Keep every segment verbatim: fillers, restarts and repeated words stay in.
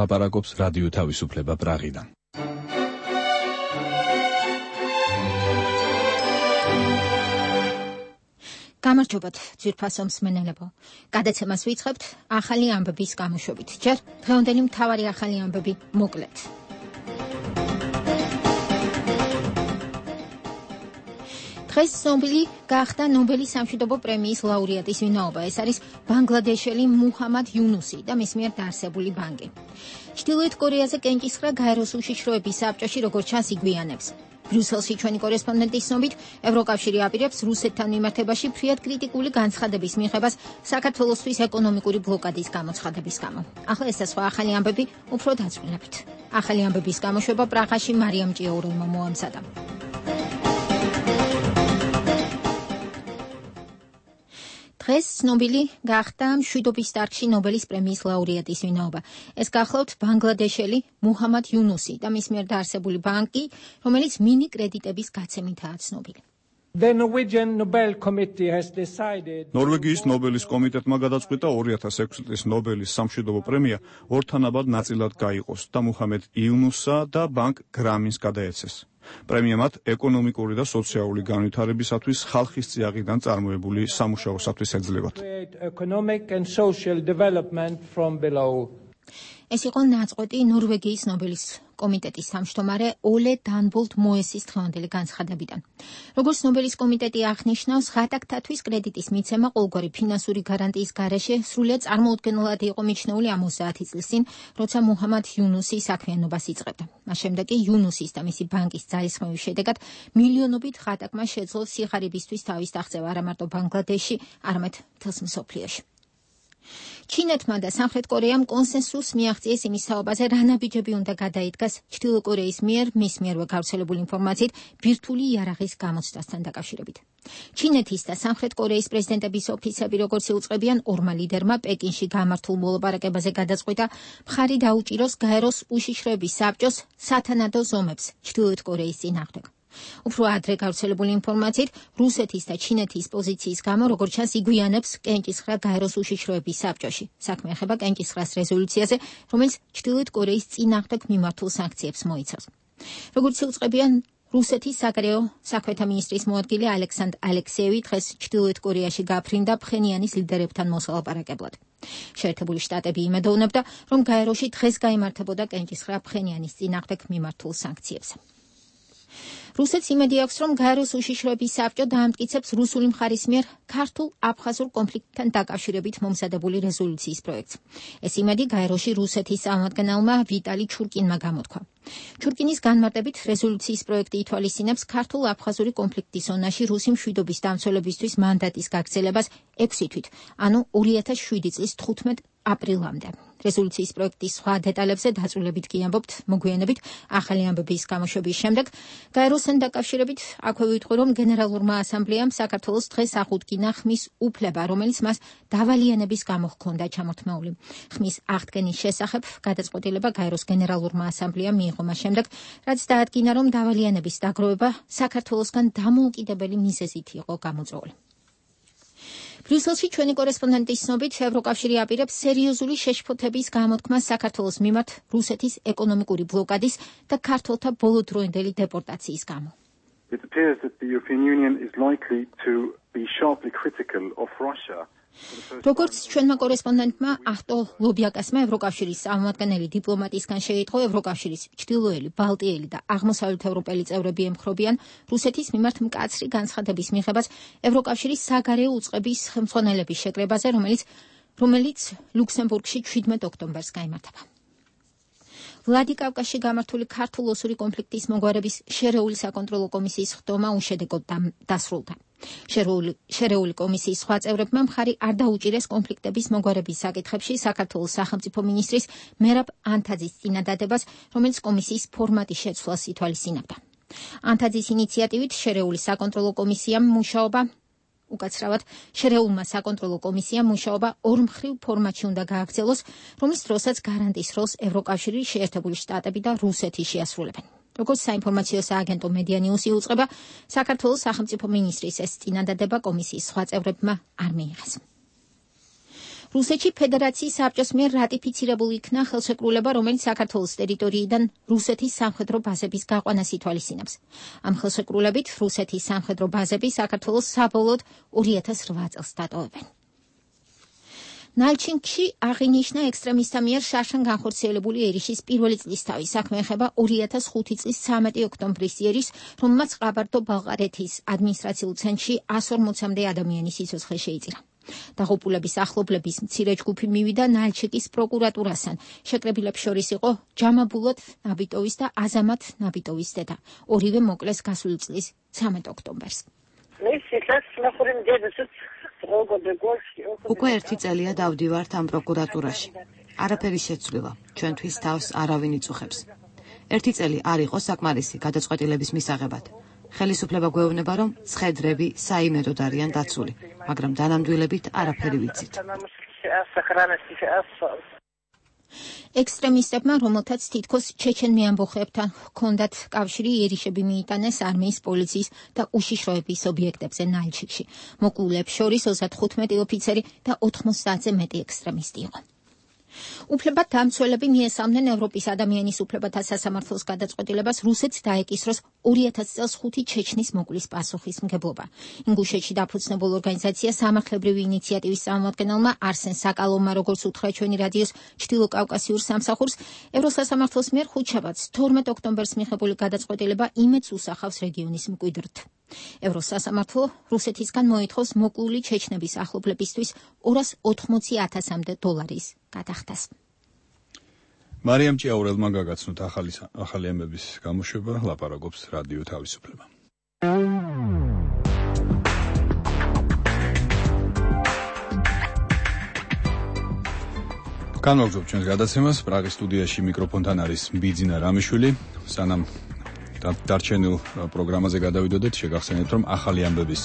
ლაპარაკობს რადიო თავისუფლება პრაღიდან. გამარჯობათ, ძვირფასო მსმენელებო. გადაცემას ვიწყებთ ახალი ამბების გამოშვებით. ჯერ დღევანდელი მთავარი ახალი ამბები მოკლედ. დღეს ცნობილი გახდა ნობელის სამშვიდობო პრემიის ლაურეატის ვინაობა. ეს არის ბანგლადეშელი მუჰამად იუნუსი და მის მიერ დაარსებული ბანკი. ჩრდილოეთ კორეაზე კენჭისყრა გაეროს უშიშროების საბჭოში როგორც ჩანს იგვიანებს. ბრიუსელში ჩვენი კორესპონდენტის ცნობით, ევროკავშირი აპირებს რუსეთთან მიმართებაში ფრიად კრიტიკული განცხადების მიღებას საქართველოსთვის ეკონომიკური ბლოკადის გამოცხადების გამო. ახლა ეს და სხვა ახალი ამბები უფრო დაწვრილებთ. ახალი ამბების გამოშვება პრაღაში მარიამ ჭიაურელმა მოამზადა. დღეს ცნობილი გახდა მშვიდობის დარგში ნობელის პრემიის ლაურეატის ვინაობა. ეს გახლავთ ბანგლადეშელი მუჰამად იუნუსი და მის მიერ დაარსებული ბანკი, რომელიც მინი კრედიტების გაცემითაა ცნობილი. ნორვეგიის ნობელის კომიტეტმა გადაწყვიტა ორი ათას ექვსი წლის ნობელის სამშვიდობო პრემია ორთანაბად ნაწილად გაიყოს და მუჰამად იუნუსსა და ბანკ გრამინს გადაეცეს. პრემია მათ ეკონომიკური და სოციალური განვითარებისათვის ხალხის წიაღიდან წარმოებული სამუშაოსათვის ეძლებათ. ეს იყო ნაწყვეტი ნორვეგიის ნობელის კომიტეტის თავმჯდომარე ოლე დანბოლტ მოესის დღევანდელი განცხადებიდან. როგორც ნობელის კომიტეტი აღნიშნავს, ღატაკთათვის კრედიტის მიცემა ყოველგვარი ფინანსური გარანტიის გარეშე სრულიად წარმოუდგენლად იყო მიჩნეული ოცდაათი წლის წინ, როცა მუჰამად იუნუსი საქმიანობას იწყებდა. მას შემდეგ კი იუნუსის და მისი ბანკის ძალისხმევის შედეგად მილიონობით ღატაკმა შეძლო სიღარიბისთვის თავის აღწევა არა მარტო ბანგლადეშში, არამედ მთელს მსოფლიოში. ჩინეთმა და სამხრეთ კორეამ კონსენსუსს მიაღწიეს იმის თაობაზე, რა ნაბიჯები უნდა გადაიდგას ჩრდილო კორეის მიერ მის მიერვე გავრცელებული ინფორმაციით ბირთვული იარაღის გამოცდასთან დაკავშირებით. ჩინეთის და სამხრეთ კორეის პრეზიდენტების ოფისები, როგორც იუწყებიან, ორმა ლიდერმა პეკინში გამართულ მოლაპარაკებაზე გადაწყვიტა მხარი დაუჭიროს გაეროს უშიშროების საბჭოს სათანადო ზომებს ჩრდილოეთ კორეის წინააღმდეგ. უფრო ადრე გავრცელებული ინფორმაციით, რუსეთის და ჩინეთის პოზიციის გამო, როგორც ჩანს, იგვიანებს კენჭისყრა გაეროს უშიშროების საბჭოში. საქმე ეხება კენჭისყრას რეზოლუციაზე, რომელიც ჩრდილოეთ კორეის წინააღმდეგ მიმართულ სანქციებს მოიცავს. როგორც იუწყებიან, რუსეთის საგარეო საქმეთა მინისტრის მოადგილე ალექსანდრ ალექსეევი დღეს ჩრდილოეთ კორეაში გაფრინდა ფხენიანის ლიდერებთან მოსალაპარაკებლად. შეერთებული შტატები იმედოვნებდა, რომ გაეროში დღეს გაიმართებოდა კენჭისყრა ფხენიანის წინააღმდეგ მიმართულ სანქციებს. რუსეთს იმედი აქვს, რომ გაეროს უშიშროების საბჭო დაამტკიცებს რუსული მხარის მიერ ქართულ-აფხაზურ კონფლიქტთან დაკავშირებით მომზადებული რეზოლუციის პროექტს. ეს იმედი გაეროში რუსეთის წარმომადგენელმა ვიტალი ჩურკინმა გამოთქვა. ჩურკინის განმარტებით რეზოლუციის პროექტი ითვალისწინებს ქართულ-აფხაზური კონფლიქტის ზონაში რუსი მშვიდობის დამცველებისთვის მანდატის გაგრძელებას ექვსი თვით, ანუ ორი ათას შვიდი წლის თხუთმეტ აპრილამდე. რეზოლუციის პროექტის სხვა დეტალებზე დაწვრილებით კი ამბობთ მოგვიანებით ახალი ამბების გამოშვების შემდეგ. გაეროსთან დაკავშირებით აქვე ვიტყვი, რომ გენერალურმა ასამბლეამ საქართველოს დღეს აღუდგინა ხმის უფლება, რომელიც მას დავალიანების გამო ჰქონდა ჩამორთმეული. ხმის აღდგენის შესახებ გადაწყვეტილება გაეროს გენერალურმა ასამბლეამ მიიღო მას შემდეგ, რაც დაადგინა, რომ დავალიანების დაგროვება საქართველოსგან დამოუკიდებელი მიზეზით იყო გამოწვეული. ბრიუსელში ჩვენი კორესპონდენტის ცნობით, ევროკავშირი აპირებს სერიოზული შეშფოთების გამოთქმას საქართველოს მიმართ რუსეთის ეკონომიკური ბლოკადის და ქართველთა ბოლოდროინდელი დეპორტაციის გამო. It appears that the European Union is likely to be sharply critical of Russia. როგორც ჩვენმა კორესპონდენტმა ახტო ლობიაკასმა ევროკავშირის წარმომადგენელი დიპლომატისგან შეიტყო, ევროკავშირის ჩრდილოელი, ბალტიელი და აღმოსავლეთ ევროპელი წევრები ემხრობიან რუსეთის მიმართ მკაცრი განცხადების მიღებას ევროკავშირის საგარეო უწყების ხელმძღვანელების შეკრებაზე, რომელიც რომელიც ლუქსემბურგში შვიდმეტ ოქტომბერს გაიმართება. ვლადიკავკაზში გამართული ქართულ-ოსური კონფლიქტის მოგვარების შერეული საკონტროლო კომისიის ხდომა უშედეგოდ დასრულდა. შერეული კომისიის სხვა წევრებმა მხარი არ დაუჭირეს კონფლიქტების მოგვარების საკითხებში საქართველოს სახელმწიფო მინისტრის მერაბ ანთაძის წინადადებას, რომელიც კომისიის ფორმატის შეცვლას ითვალისწინებდა. ანთაძის ინიციატივით შერეული საკონტროლო კომისიამ მუშაობა უკაცრავად შერეულმა საკონტროლო კომისიამ მუშაობა ორმხრივ ფორმატში უნდა გააგრძელოს, რომლის დროსაც გარანტის როლს ევროკავშირი, შეერთებული შტატები და რუსეთი შეასრულებენ. როგორც საინფორმაციო სააგენტო მედია ნიუსი უწყება, საქართველოს სახელმწიფო მინისტრის ეს წინადადება კომისიის სხვა წევრებმა არ მიიღეს. რუსეთში ფედერაციის საბჭოს მიერ რატიფიცირებული იქნა ხელშეკრულება, რომელიც საქართველოს ტერიტორიიდან რუსეთის სამხედრო ბაზების გაყვანას ითვალისწინებს. ამ ხელშეკრულებით რუსეთის სამხედრო ბაზები საქართველოს საბოლოოდ ორი ათას რვა წელს დატოვებენ. ნალჩინგში აღინიშნა ექსტრემისტთა მიერ შარშან განხორციელებული ერიშის პირველი წლისთავი. საქმე ეხება ორი ათას ხუთი წლის ცამეტი ოქტომბრის იერიშს, რომელმაც ყაბარდო-ბალყარეთის ადმინისტრაციულ ცენტრში ას ორმოცამდე ადამიანის სიცოცხლე შეიწირა. დაღუპულების ახლობლების მცირე ჯგუფი მივიდა ნალჩიკის პროკურატურასთან. შეკრებილებს შორის იყო ჯამაბულოთ ნაბიტოვის და აზამათ ნაბიტოვის დედა. ორივე მოკლეს გასული წლის ცამეტ ოქტომბერს. უკვე ერთი წელია დავდივართ ამ პროკურატურაში. არაფერი შეცვლილა, ჩვენთვის თავს არავინ იწუხებს. ერთი წელი არ იყო საკმარისი გადაწყვეტილების მისაღებად. ხელისუფლება გვეუბნება, რომ ცხედრები საიმედოდ არიან დაცული, მაგრამ დანამდვილებით არაფერი ვიცით. ექსტრემისტებმა, რომელთაც თითქოს ჩეჩენ მეამბოხეებთან ჰქონდათ კავშირი, ერიშები მიიტანეს არმიის, პოლიციის და უშიშროების ობიექტებზე ნალჩიკში. მოკლულებს შორის ოცდათხუთმეტი ოფიცერი და ოთხმოცდაათზე მეტი ექსტრემისტი იყო. უფლებადამცველები მიესალმნენ ევროპის ადამიანის უფლებათა სასამართლოს გადაწყვეტილებას რუსეთს დაეკისროს ორი ათას წელს ხუთი ჩეჩნის მოკვლის პასუხისმგებლობა. ინგუშეთში დაფუძნებულ ორგანიზაცია სამართლებრივი ინიციატივის წარმომადგენელმა არსენ საკალოვმა, როგორც უთხრა ჩვენი რადიოს ჩრდილოკავკასიურ სამსახურს, ევროსასამართლოს მიერ ხუთშაბათს თორმეტ ოქტომბერს მიღებული გადაწყვეტილება იმედს უსახავს რეგიონის მკვიდრთ. ევროსასამართლო რუსეთისგან მოითხოვს მოკლული ჩეჩნების ახლობლებისთვის ორას ოთხმოცი ათასამდე დოლარის გადახდას. მარიამ ჭიაურელმა გაგაცნოთ ახალი ახალი ამბების გამოშვება, ლაპარაკობს რადიო თავისუფლება. განვაგრძობთ ჩვენს გადაცემას. პრაღის სტუდიაში მიკროფონთან არის ბიძინა რამიშვილი. სანამ დარჩენილ პროგრამაზე გადავიდოდეთ, შეგახსენებთ, რომ ახალი ამბების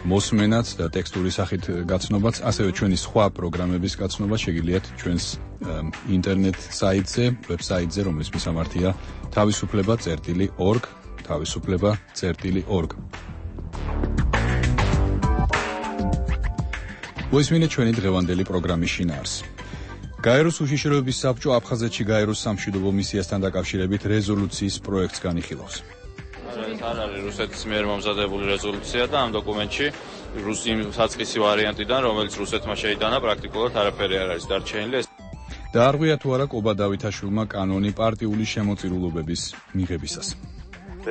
მოსმენაც და ტექსტური სახით გაცნობაც, ასევე ჩვენი სხვა პროგრამების გაცნობა შეგიძლიათ ჩვენს ინტერნეტ საიტზე, ვებსაიტზე, რომლის მისამართია თავისუფლება წერტილი ორგ, თავისუფლება წერტილი ორგ. მოისმინეთ ჩვენი დღევანდელი პროგრამის შინაარსი. გაეროს უშიშროების საბჭო აფხაზეთში გაეროს სამშვიდობო მისიასთან დაკავშირებით რეზოლუციის პროექტს განიხილავს. არ არის რუსეთის მიერ მომზადებული რეზოლუცია და ამ დოკუმენტში რუსი საწყისი ვარიანტიდან, რომელიც რუსეთმა შეიტანა, პრაქტიკულად არაფერი არ არის დარჩენილი. დაარღვია თუ არა კობა დავითაშვილმა კანონი პარტიული შემოწირულობების მიღებისას.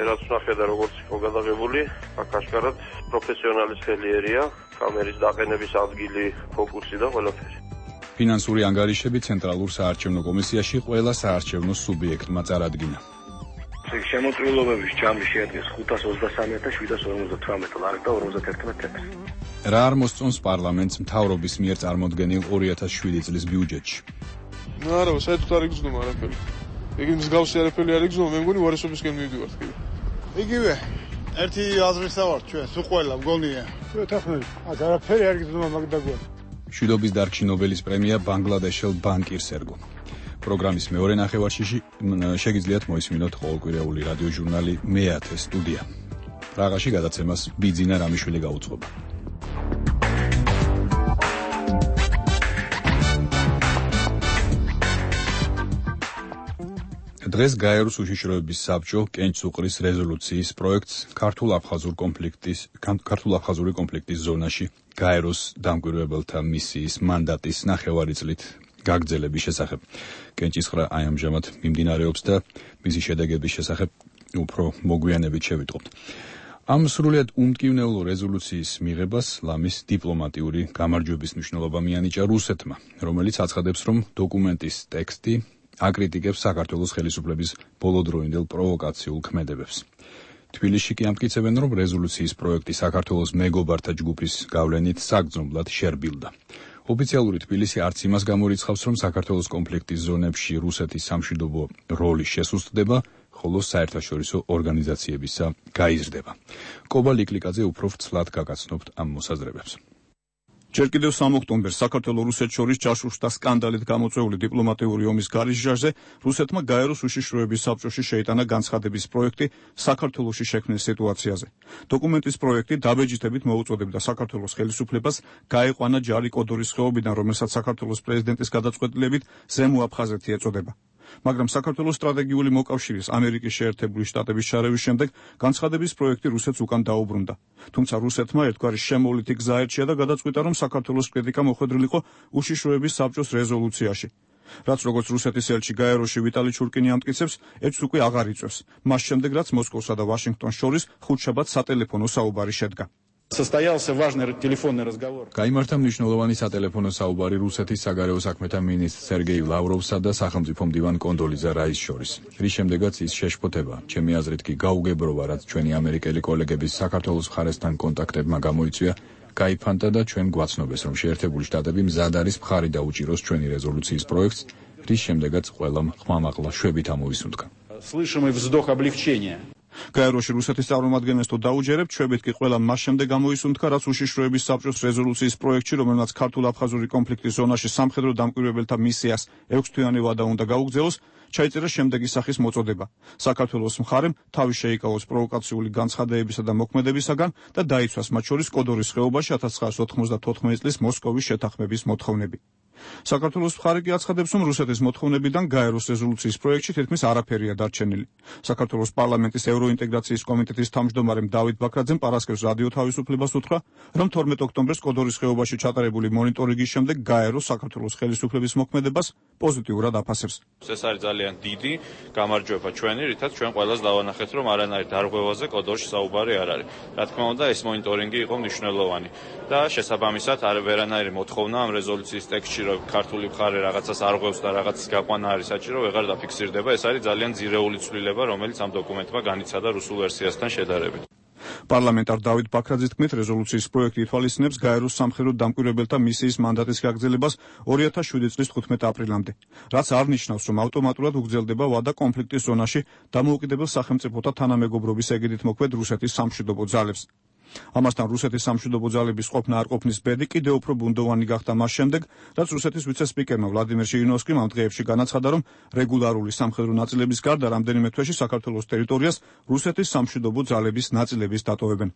რაც ნახედა როგორც იყო გადაღებული, აქ აშკარად პროფესიონალის ხელი ერია, კამერის დაყენების ადგილი, ფოკუსი და ყველაფერი. ფინანსური ანგარიშები ცენტრალურ საარჩევნო კომისიაში ყველა საარჩევნო სუბიექტმა წარადგინა. შემოწირულობების ჯამი შეადგენს ხუთას ოცდასამი ათას შვიდას ორმოცდათვრამეტ ლარს და ორმოცდაერთმეტ თეთრს. რა არ მოსწონს პარლამენტს მთავრობის მიერ წარმოდგენილ ორი ათას შვიდი წლის ბიუჯეტში? ნუ არა, საერთოდ არ იგრძნობა არაფერი. იგი მსგავსი არაფერი არ იგრძნობა, მე მგონი უარესობისკენ მივდივართ კიდე. იგივე, ერთი აზრისა ვართ ჩვენ, სულ ყველა მგონია. ჩვენ თახმები, არაფერი არ იგრძნობა მაგდაგვარ. მშვიდობის დარგში ნობელის პრემია ბანგლადეშელ ბანკირს ერგო. პროგრამის მეორე ნახევარში შეგიძლიათ მოისმინოთ ყოველკვირეული რადიო ჟურნალი მეათე სტუდია. პრაღაში გადაცემას ბიძინა რამიშვილი გაუძღობა. დღეს გაეროს უშიშროების საბჭო კენჭს უყრის რეზოლუციის პროექტს ქართულ-აფხაზურ კონფლიქტის ქართულ-აფხაზური კონფლიქტის ზონაში გაეროს დამკვირვებელთა მისიის მანდატის ნახევარი წლით გაგრძელების შესახებ. კენჭისყრა აი ამჟამად მიმდინარეობს და მისი შედეგების შესახებ უფრო მოგვიანებით შევიტყობთ. ამ სრულიად უმტკივნეულო რეზოლუციის მიღებას ლამის დიპლომატიური გამარჯვების მნიშვნელობა მიანიჭა რუსეთმა, რომელიც აცხადებს, რომ დოკუმენტის ტექსტი აკრიტიკებს საქართველოს ხელისუფლების ბოლოდროინდელ პროვოკაციულ ქმედებებს. თბილისში კი ამტკიცებენ, რომ რეზოლუციის პროექტი საქართველოს მეგობართა ჯგუფის გავლენით საგრძნობლად შერბილდა. ოფიციალური თბილისი არც იმას გამორიცხავს, რომ საქართველოს კონფლიქტის ზონებში რუსეთის სამშვიდობო როლი შესუსტდება, ხოლო საერთაშორისო ორგანიზაციებისა გაიზრდება. კობა ლიკლიკაძე უფრო ვრცლად გაგაცნობთ ამ მოსაზრებებს. ჯერ კიდევ სამი ოქტომბერს საქართველოს-რუსეთს შორის ჯაშუშთა სკანდალით გამოწვეული დიპლომატიური ომის გარიჟჟაზე რუსეთმა გაეროს უშიშროების საბჭოში შეიტანა განცხადების პროექტი საქართველოში შექმნილ სიტუაციაზე. დოკუმენტის პროექტი დაბეჯითებით მოუწოდებდა საქართველოს ხელისუფლებას გაეყვანა ჯარი კოდორის ხეობიდან, რომელსაც საქართველოს პრეზიდენტის გადაწყვეტილებით ზემო აფხაზეთი ეწოდება. მაგრამ საქართველოს სტრატეგიული მოკავშირის ამერიკის შეერთებული შტატების შარევის შემდეგ განცხადების პროექტი რუსეთს უკან დაუბრუნდა. თუმცა რუსეთმა ერთგვარი შემოვლითი გზა ერჩია და გადაწყვიტა, რომ საქართველოს კრიტიკა მოხვედრილიყო უშიშროების საბჭოს რეზოლუციაში. რაც როგორც რუსეთის ელჩი გაეროში ვიტალი ჩურკინი ამტკიცებს, ეჭვს უკვე აღარ იწვევს. მას შემდეგ, რაც მოსკოვსა და ვაშინგტონს შორის ხუთშაბათს სატელეფონო საუბარი შედგა. გაიმართა მნიშვნელოვანი სატელეფონო საუბარი რუსეთის საგარეო საქმეთა მინისტრ სერგეი ლავროვსა და სახელმწიფო მდივან კონდოლიზა რაის შორის. რის შემდეგაც ის შეშფოთება, ჩემი აზრით კი გაუგებრობა, რაც ჩვენი ამერიკელი კოლეგების საქართველოს მხარესთან კონტაქტებმა გამოიწვია, გაიფანტა და ჩვენ გვაცნობეს, რომ შეერთებული შტატები მზად არის მხარი დაუჭიროს ჩვენი რეზოლუციის პროექტს, რის შემდეგაც ყველამ ხმამაღლა შვებით ამოვისუნთქა. გაეროში რუსეთის წარმომადგენლებს თუ დაუჯერებთ, შვებით კი ყველა მას შემდეგ გამოისუნთქა, რაც უშიშროების საბჭოს რეზოლუციის პროექტში, რომელმაც ქართულ-აფხაზური კონფლიქტის ზონაში სამხედრო დამკვირვებელთა მისიას ექვსთვიანი ვადა უნდა გაუგზავნოს, ჩაიწერა შემდეგი სახის მოწოდება. საქართველოს მხარემ თავი შეიკავოს პროვოკაციული განცხადებებისა და მოქმედებისაგან და დაიცვას მათ შორის კოდორის ხეობაში ათას ცხრაასი ოთხმოცდათოთხმეტი წლის მოსკოვის შეთანხმების მოთხოვნები. საქართველოს მხარე კი აცხადებს, რომ რუსეთის მოთხოვნებიდან გაეროს რეზოლუციის პროექტში თითქმის არაფერია დარჩენილი. საქართველოს პარლამენტის ევროინტეგრაციის კომიტეტის თავმჯდომარემ დავით ბაქრაძემ პარასკევს რადიო თავისუფლებას უთხრა, რომ თორმეტი ოქტომბერს კოდორის ხეობაში ჩატარებული მონიტორინგის შემდეგ გაერო საქართველოს ხელისუფლების მოქმედებას პოზიტიურად აფასებს. ეს არის ძალიან დიდი გამარჯვება ჩვენი, რითაც ჩვენ ყველას დავანახეთ, რომ არანაირ დარღვევაზე კოდორში საუბარი არ არის. რა თქმა უნდა, ეს მონიტორინგი იყო მნიშვნელოვანი და შესაბამისად არ ვერანაირი მოთხოვნა ამ რეზოლუციის ტექსტში, რომ ქართული მხარე რაღაცას არღვევს და რაღაცის გაყვანა არის საჭირო, ვეღარ დაფიქსირდება. ეს არის ძალიან ძირეული ცვლილება, რომელიც ამ დოკუმენტმა განიცადა რუსულ ვერსიასთან შედარებით. პარლამენტარ დავით ბაქრაძის თქმით, რეზოლუციის პროექტი ითვალისწინებს გაეროს სამხედრო დამკვირვებელთა მისიის მანდატის გაგრძელებას ორი ათას შვიდი წლის თხუთმეტი აპრილამდე, რაც არ ნიშნავს, რომ ავტომატურად უგრძელდება ვადა კონფლიქტის ზონაში დამოუკიდებელ სახელმწიფოთა თანამეგობრობის ეგიდით მოქმედ რუსეთის სამშვიდობო ძალებს. ამასთან რუსეთის სამშვიდობო ძალების ყოფნა არ ყოფნის ბედი კიდევ უფრო ბუნდოვანი გახდა მას შემდეგ, რაც რუსეთის ვიცე-სპიკერმა ვლადიმერ ჟირინოვსკიმ ამ დღეებში განაცხადა, რომ რეგულარული სამხედრო ნაწილების გარდა რამდენიმე თვეში საქართველოს ტერიტორიას რუსეთის სამშვიდობო ძალების ნაწილების დატოვებენ.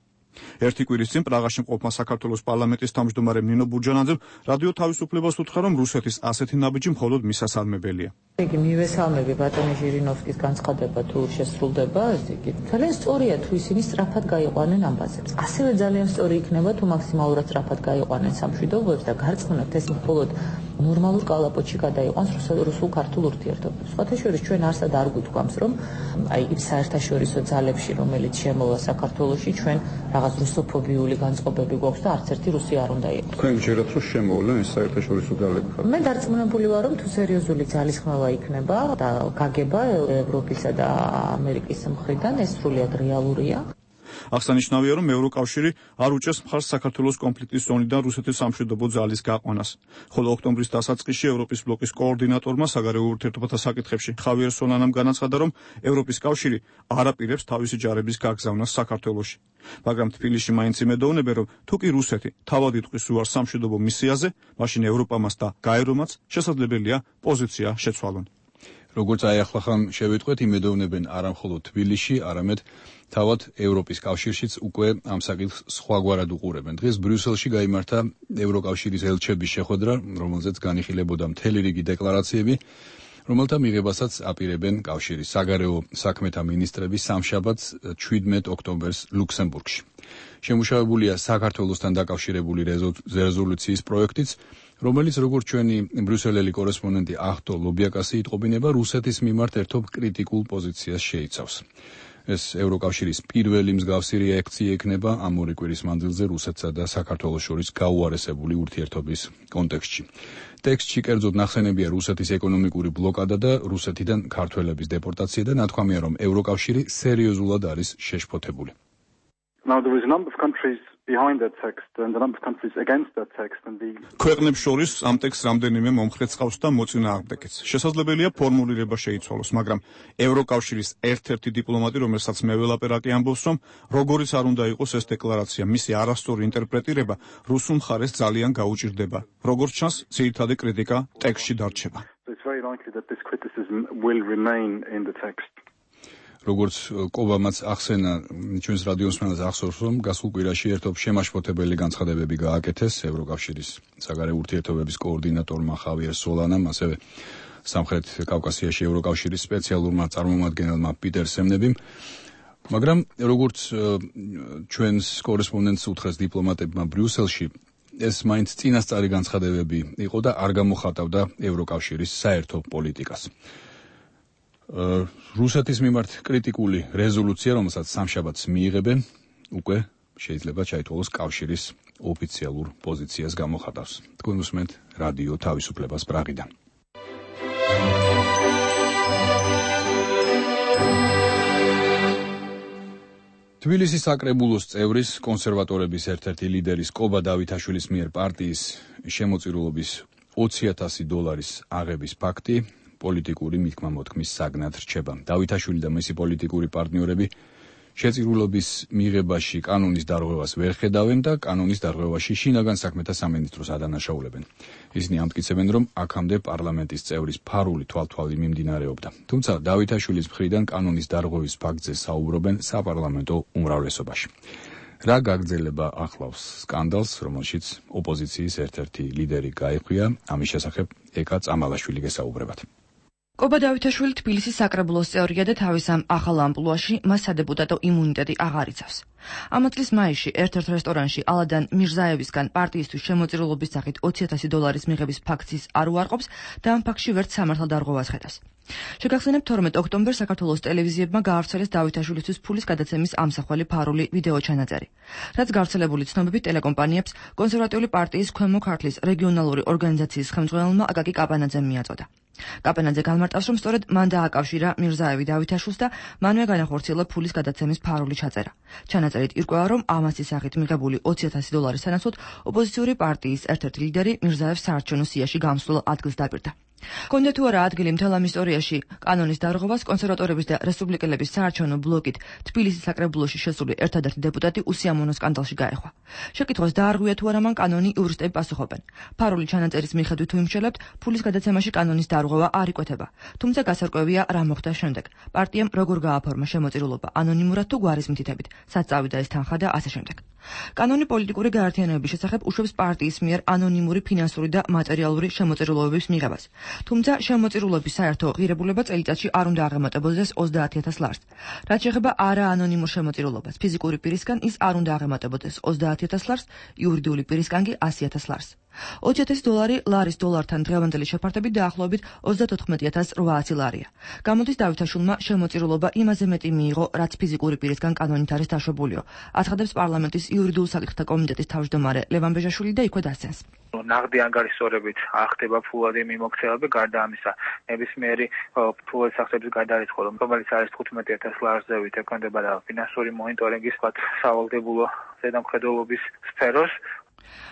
ერთი კვირის წინ პრაღაში მყოფმა საქართველოს პარლამენტის თავმჯდომარემ ნინო ბურჯანაძემ რადიო თავისუფლებას უთხრა, რომ რუსეთის ასეთი ნაბიჯი მხოლოდ მისასალმებელია. იგი მივესალმები ბატონი ჟირინოვსკის განცხადება თუ შესრულდება, იგი ძალიან სწორია თუ ისინი სწრაფად გაიყვანენ ამბაზებს. ასევე ძალიან სწორი იქნება თუ მაქსიმალურად სწრაფად გაიყვანენ სამშვიდობოებს და გარწმუნებთ ეს მხოლოდ ნორმალურ კალაპოტში გადაიყვანს რუსულ-ქართულ ურთიერთობებს. სხვათა შორის ჩვენ არსად არ გვიტყვამს, რომ აი იმ საერთაშორისო ძალებში, რომელიც შემოვა საქართველოში, ჩვენ რაღაც რუსოფობიული განწყობები გვაქვს და არც ერთი რუსი არ უნდა იყოს. თქვენ გჯერათ, რომ შემოვლენ ეს საერთაშორისო ძალები? მე დარწმუნებული ვარ, რომ თუ სერიოზული ძალის ხმევა იქნება და გაგება ევროპისა და ამერიკის მხრიდან, ეს სრულიად რეალურია. აღსანიშნავია, რომ ევროკავშირი არ უჭერს მხარს საქართველოს კონფლიქტის ზონიდან რუსეთის სამშვიდობო ძალის გაყვანას. ხოლო ოქტომბრის დასაწყისში ევროპის ბლოკის კოორდინატორმა საგარეო ურთიერთობათა საკითხებში ხავიერ სოლანამ განაცხადა, რომ ევროპის კავშირი არ აპირებს თავისი ჯარების გაგზავნას საქართველოში. მაგრამ თბილისში მაინც იმედოვნებენ, რომ თუ კი რუსეთი თავად იტყვის უარს სამშვიდობო მისიაზე, მაშინ ევროპამაც და გაერომაც შესაძლებელია პოზიცია შეცვალონ. როგორც აი ახლახან შევიტყვეთ, იმედოვნებენ არა მხოლოდ თბილისში, არამედ თავად ევროპის კავშირშიც უკვე ამ საკითხს სხვაგვარად უყურებენ. დღეს ბრიუსელში გაიმართა ევროკავშირის ელჩების შეხვედრა, რომელზეც განიხილებოდა მთელი რიგი დეკლარაციები, რომელთა მიღებასაც აპირებენ კავშირის საგარეო საქმეთა მინისტრები სამშაბათს შვიდმეტი ოქტომბერს ლუქსემბურგში. შემუშავებულია საქართველოსთან დაკავშირებული რეზოლუციის პროექტიც, რომელიც როგორც ჩვენი ბრიუსელელი კორესპონდენტი ახტო ლობიაკასი იტყობინება, რუსეთის მიმართ ერთობ კრიტიკულ პოზიციას შეიცავს. ეს ევროკავშირის პირველი მსგავსი რეაქცია იქნება ამ ორი კვირის მანძილზე რუსეთსა და საქართველოს შორის გაუარესებული ურთიერთობის კონტექსტში. ტექსტში კერძოდ ნახსენებია რუსეთის ეკონომიკური ბლოკადა და რუსეთიდან ქართველების დეპორტაცია და ნათქვამია, რომ ევროკავშირი სერიოზულად არის შეშფოთებული. Now there is a number of countries behind that text and a number of countries against that text and the ქვეყნებს შორის ამ ტექსტს რამდენიმე მომხრე წყავს და მოწინააღმდეგეც. შესაძლებელია ფორმულირება შეიცვალოს, მაგრამ ევროკავშირის ერთ-ერთი დიპლომატი, რომელსაც მე ველაპარაკი ამბობს, რომ როგორიც არ უნდა იყოს ეს დეკლარაცია, მისი არასწორი ინტერპრეტირება რუსულ მხარეს ძალიან გაუჭირდება. როგორც ჩანს, ძირითადი κρიტიკა ტექსტში დარჩება. So it's very likely that this criticism will remain in the text. როგორც კობამაც ახსენა ჩვენს რადიოს მანას ახსოვს, რომ გასულ კვირაში ერთობ შემაშფოთებელი განცხადებები გააკეთეს ევროკავშირის საგარეო ურთიერთობების კოორდინატორმა ხავიერ სოლანამ, ასევე სამხრეთ კავკასიაში ევროკავშირის სპეციალურმა წარმომადგენელმა პიტერ სემნებიმ, მაგრამ როგორც ჩვენს კორესპონდენტს უთხრეს დიპლომატებმა ბრიუსელში, ეს მაინც წინასწარი განცხადებები იყო და არ გამოხატავდა ევროკავშირის საერთო პოლიტიკას. რუსეთის მიმართ კრიტიკული რეზოლუცია, რომელსაც სამშაბათს მიიღებენ, უკვე შეიძლება ჩაითვალოს კავშირის ოფიციალურ პოზიციას გამოხატავს. თქვენ უსმენთ რადიო თავისუფლებას პრაღიდან. თბილისის საკრებულოს წევრის, კონსერვატორების ერთ-ერთი ლიდერის კობა დავითაშვილის მიერ პარტიის შემოწირულობის ოცი ათასი დოლარის აღების ფაქტი პოლიტიკური მითქმა-მოთქმის საგნად რჩება. დავითაშვილი და მისი პოლიტიკური პარტნიორები შეწირულობის მიღებაში კანონის დარღვევას ვერ ხედავენ და კანონის დარღვევაში შინაგან საქმეთა სამინისტროს ადანაშაულებენ. ისინი ამტკიცებენ, რომ აქამდე პარლამენტის წევრის ფარული თვალთვალი მიმდინარეობდა. თუმცა დავითაშვილის მხრიდან კანონის დარღვევის ფაქტზე საუბრობენ საპარლამენტო უმრავლესობაში. რა გაგრძელება ახლავს სკანდალს, რომელშიც ოპოზიციის ერთ-ერთი ლიდერი გაიხვია, ამის შესახებ ეკა წამალაშვილი გესაუბრებათ. კობა დავითაშვილი თბილისის საკრებულოს წევრია და თავის ამ ახალ ამპლუაში მას სადეპუტატო იმუნიტეტი აღარ იცავს. ამ წლის მაისში ერთ-ერთ რესტორანში ალადან მირზაევისგან პარტიისთვის შემოწირულობის სახით ოცი ათასი დოლარის მიღების ფაქტის არ უარყოფს და ამ ფაქტში ვერც სამართალ დარღვევას ხედავს. შეგახსენებთ, თორმეტ ოქტომბერს საქართველოს ტელევიზიებმა გაავრცელეს დავითაშვილისთვის ფულის გადაცემის ამსახველი ფარული ვიდეო ჩანაწერი. რაც გავრცელებული ცნობებით ტელეკომპანიებს კონსერვატიული პარტიის ქვემო ქართლის რეგიონალური ორგანიზაციის ხელმძღვანელმა აკაკი კაპანაძემ მიაწოდა. კაპანაძე განმარტავს, რომ სწორედ მან დააკავშირა მირზაევი დავითაშვილს და მანვე განახორციელა ფულის გადაცემის ფარული ჩაწერა. ჩანაწერით ირკვევა, რომ ამასის სახით მიღებული ოცი ათასი დოლარის სანაცვლოდ ოპოზიციური პარტიის ერთ-ერთი ლიდერი მირზაევს საარჩევნო სიაში გამსვლელ ადგილს დაპირდა. კონდა თუ არა ადგილი მთელ ამ ისტორიაში კანონის დარღვევას კონსერვატორების და რესპუბლიკელების საარჩევნო ბლოკით თბილისის საკრებულოში შესული ერთადერთი დეპუტატი უსიამოვნო სკანდალში გაეხვა. შეკითხვას დაარღვია თუ არა მან კანონი იურისტები პასუხობენ. ფარული ჩანაწერის მიხედვით თუ იმშელებთ, ფულის გადაცემაში კანონის დარღვევა არ იკვეთება. თუმცა გასარკვევია რა მოხდა შემდეგ. პარტიამ როგორ გააფორმა შემოწირულობა ანონიმურად თუ გვარის მითითებით, სად წავიდა ეს თანხა და ასე შემდეგ. კანონი პოლიტიკური გაერთიანებების შესახებ უშვებს პარტიის მიერ ანონიმური ფინანსური და მატერიალური შემოწირულობების მიღებას. თუმცა შემოწირულობის საერთო ღირებულება წელიწადში არ უნდა აღემატებოდეს ოცდაათი ათას ლარს. რაც შეეხება არა ანონიმურ შემოწირულობას, ფიზიკური პირისგან ის არ უნდა აღემატებოდეს ოცდაათი ათას ლარს, იურიდიული პირისგან კი ასი ათას ლარს. ოცი ათასი დოლარი ლარის დოლართან დღევანდელი შეფართებით დაახლოებით ოცდათოთხმეტი ათას რვაასი ლარია. გამოდის დავითაშვილმა შემოწირულობა იმაზე მეტი მიიღო, რაც ფიზიკური პირისგან კანონით არის დაშვებულიო. აცხადებს პარლამენტის იურიდიულ საკითხთა კომიტეტის თავმჯდომარე ლევან ბეჟაშვილი და იქვე დასცენს. ნაღდი ანგარიშსწორებით ახდება ფულადი მიმოქცევები, გარდა ამისა ნებისმიერი ფულადის სახსების გადარიცხვა, რომელიც არის თხუთმეტი ათას ლარზე ექვემდებარა ფინანსური მონიტორინგის სავალდებულო ზედამხედველობის სფეროს.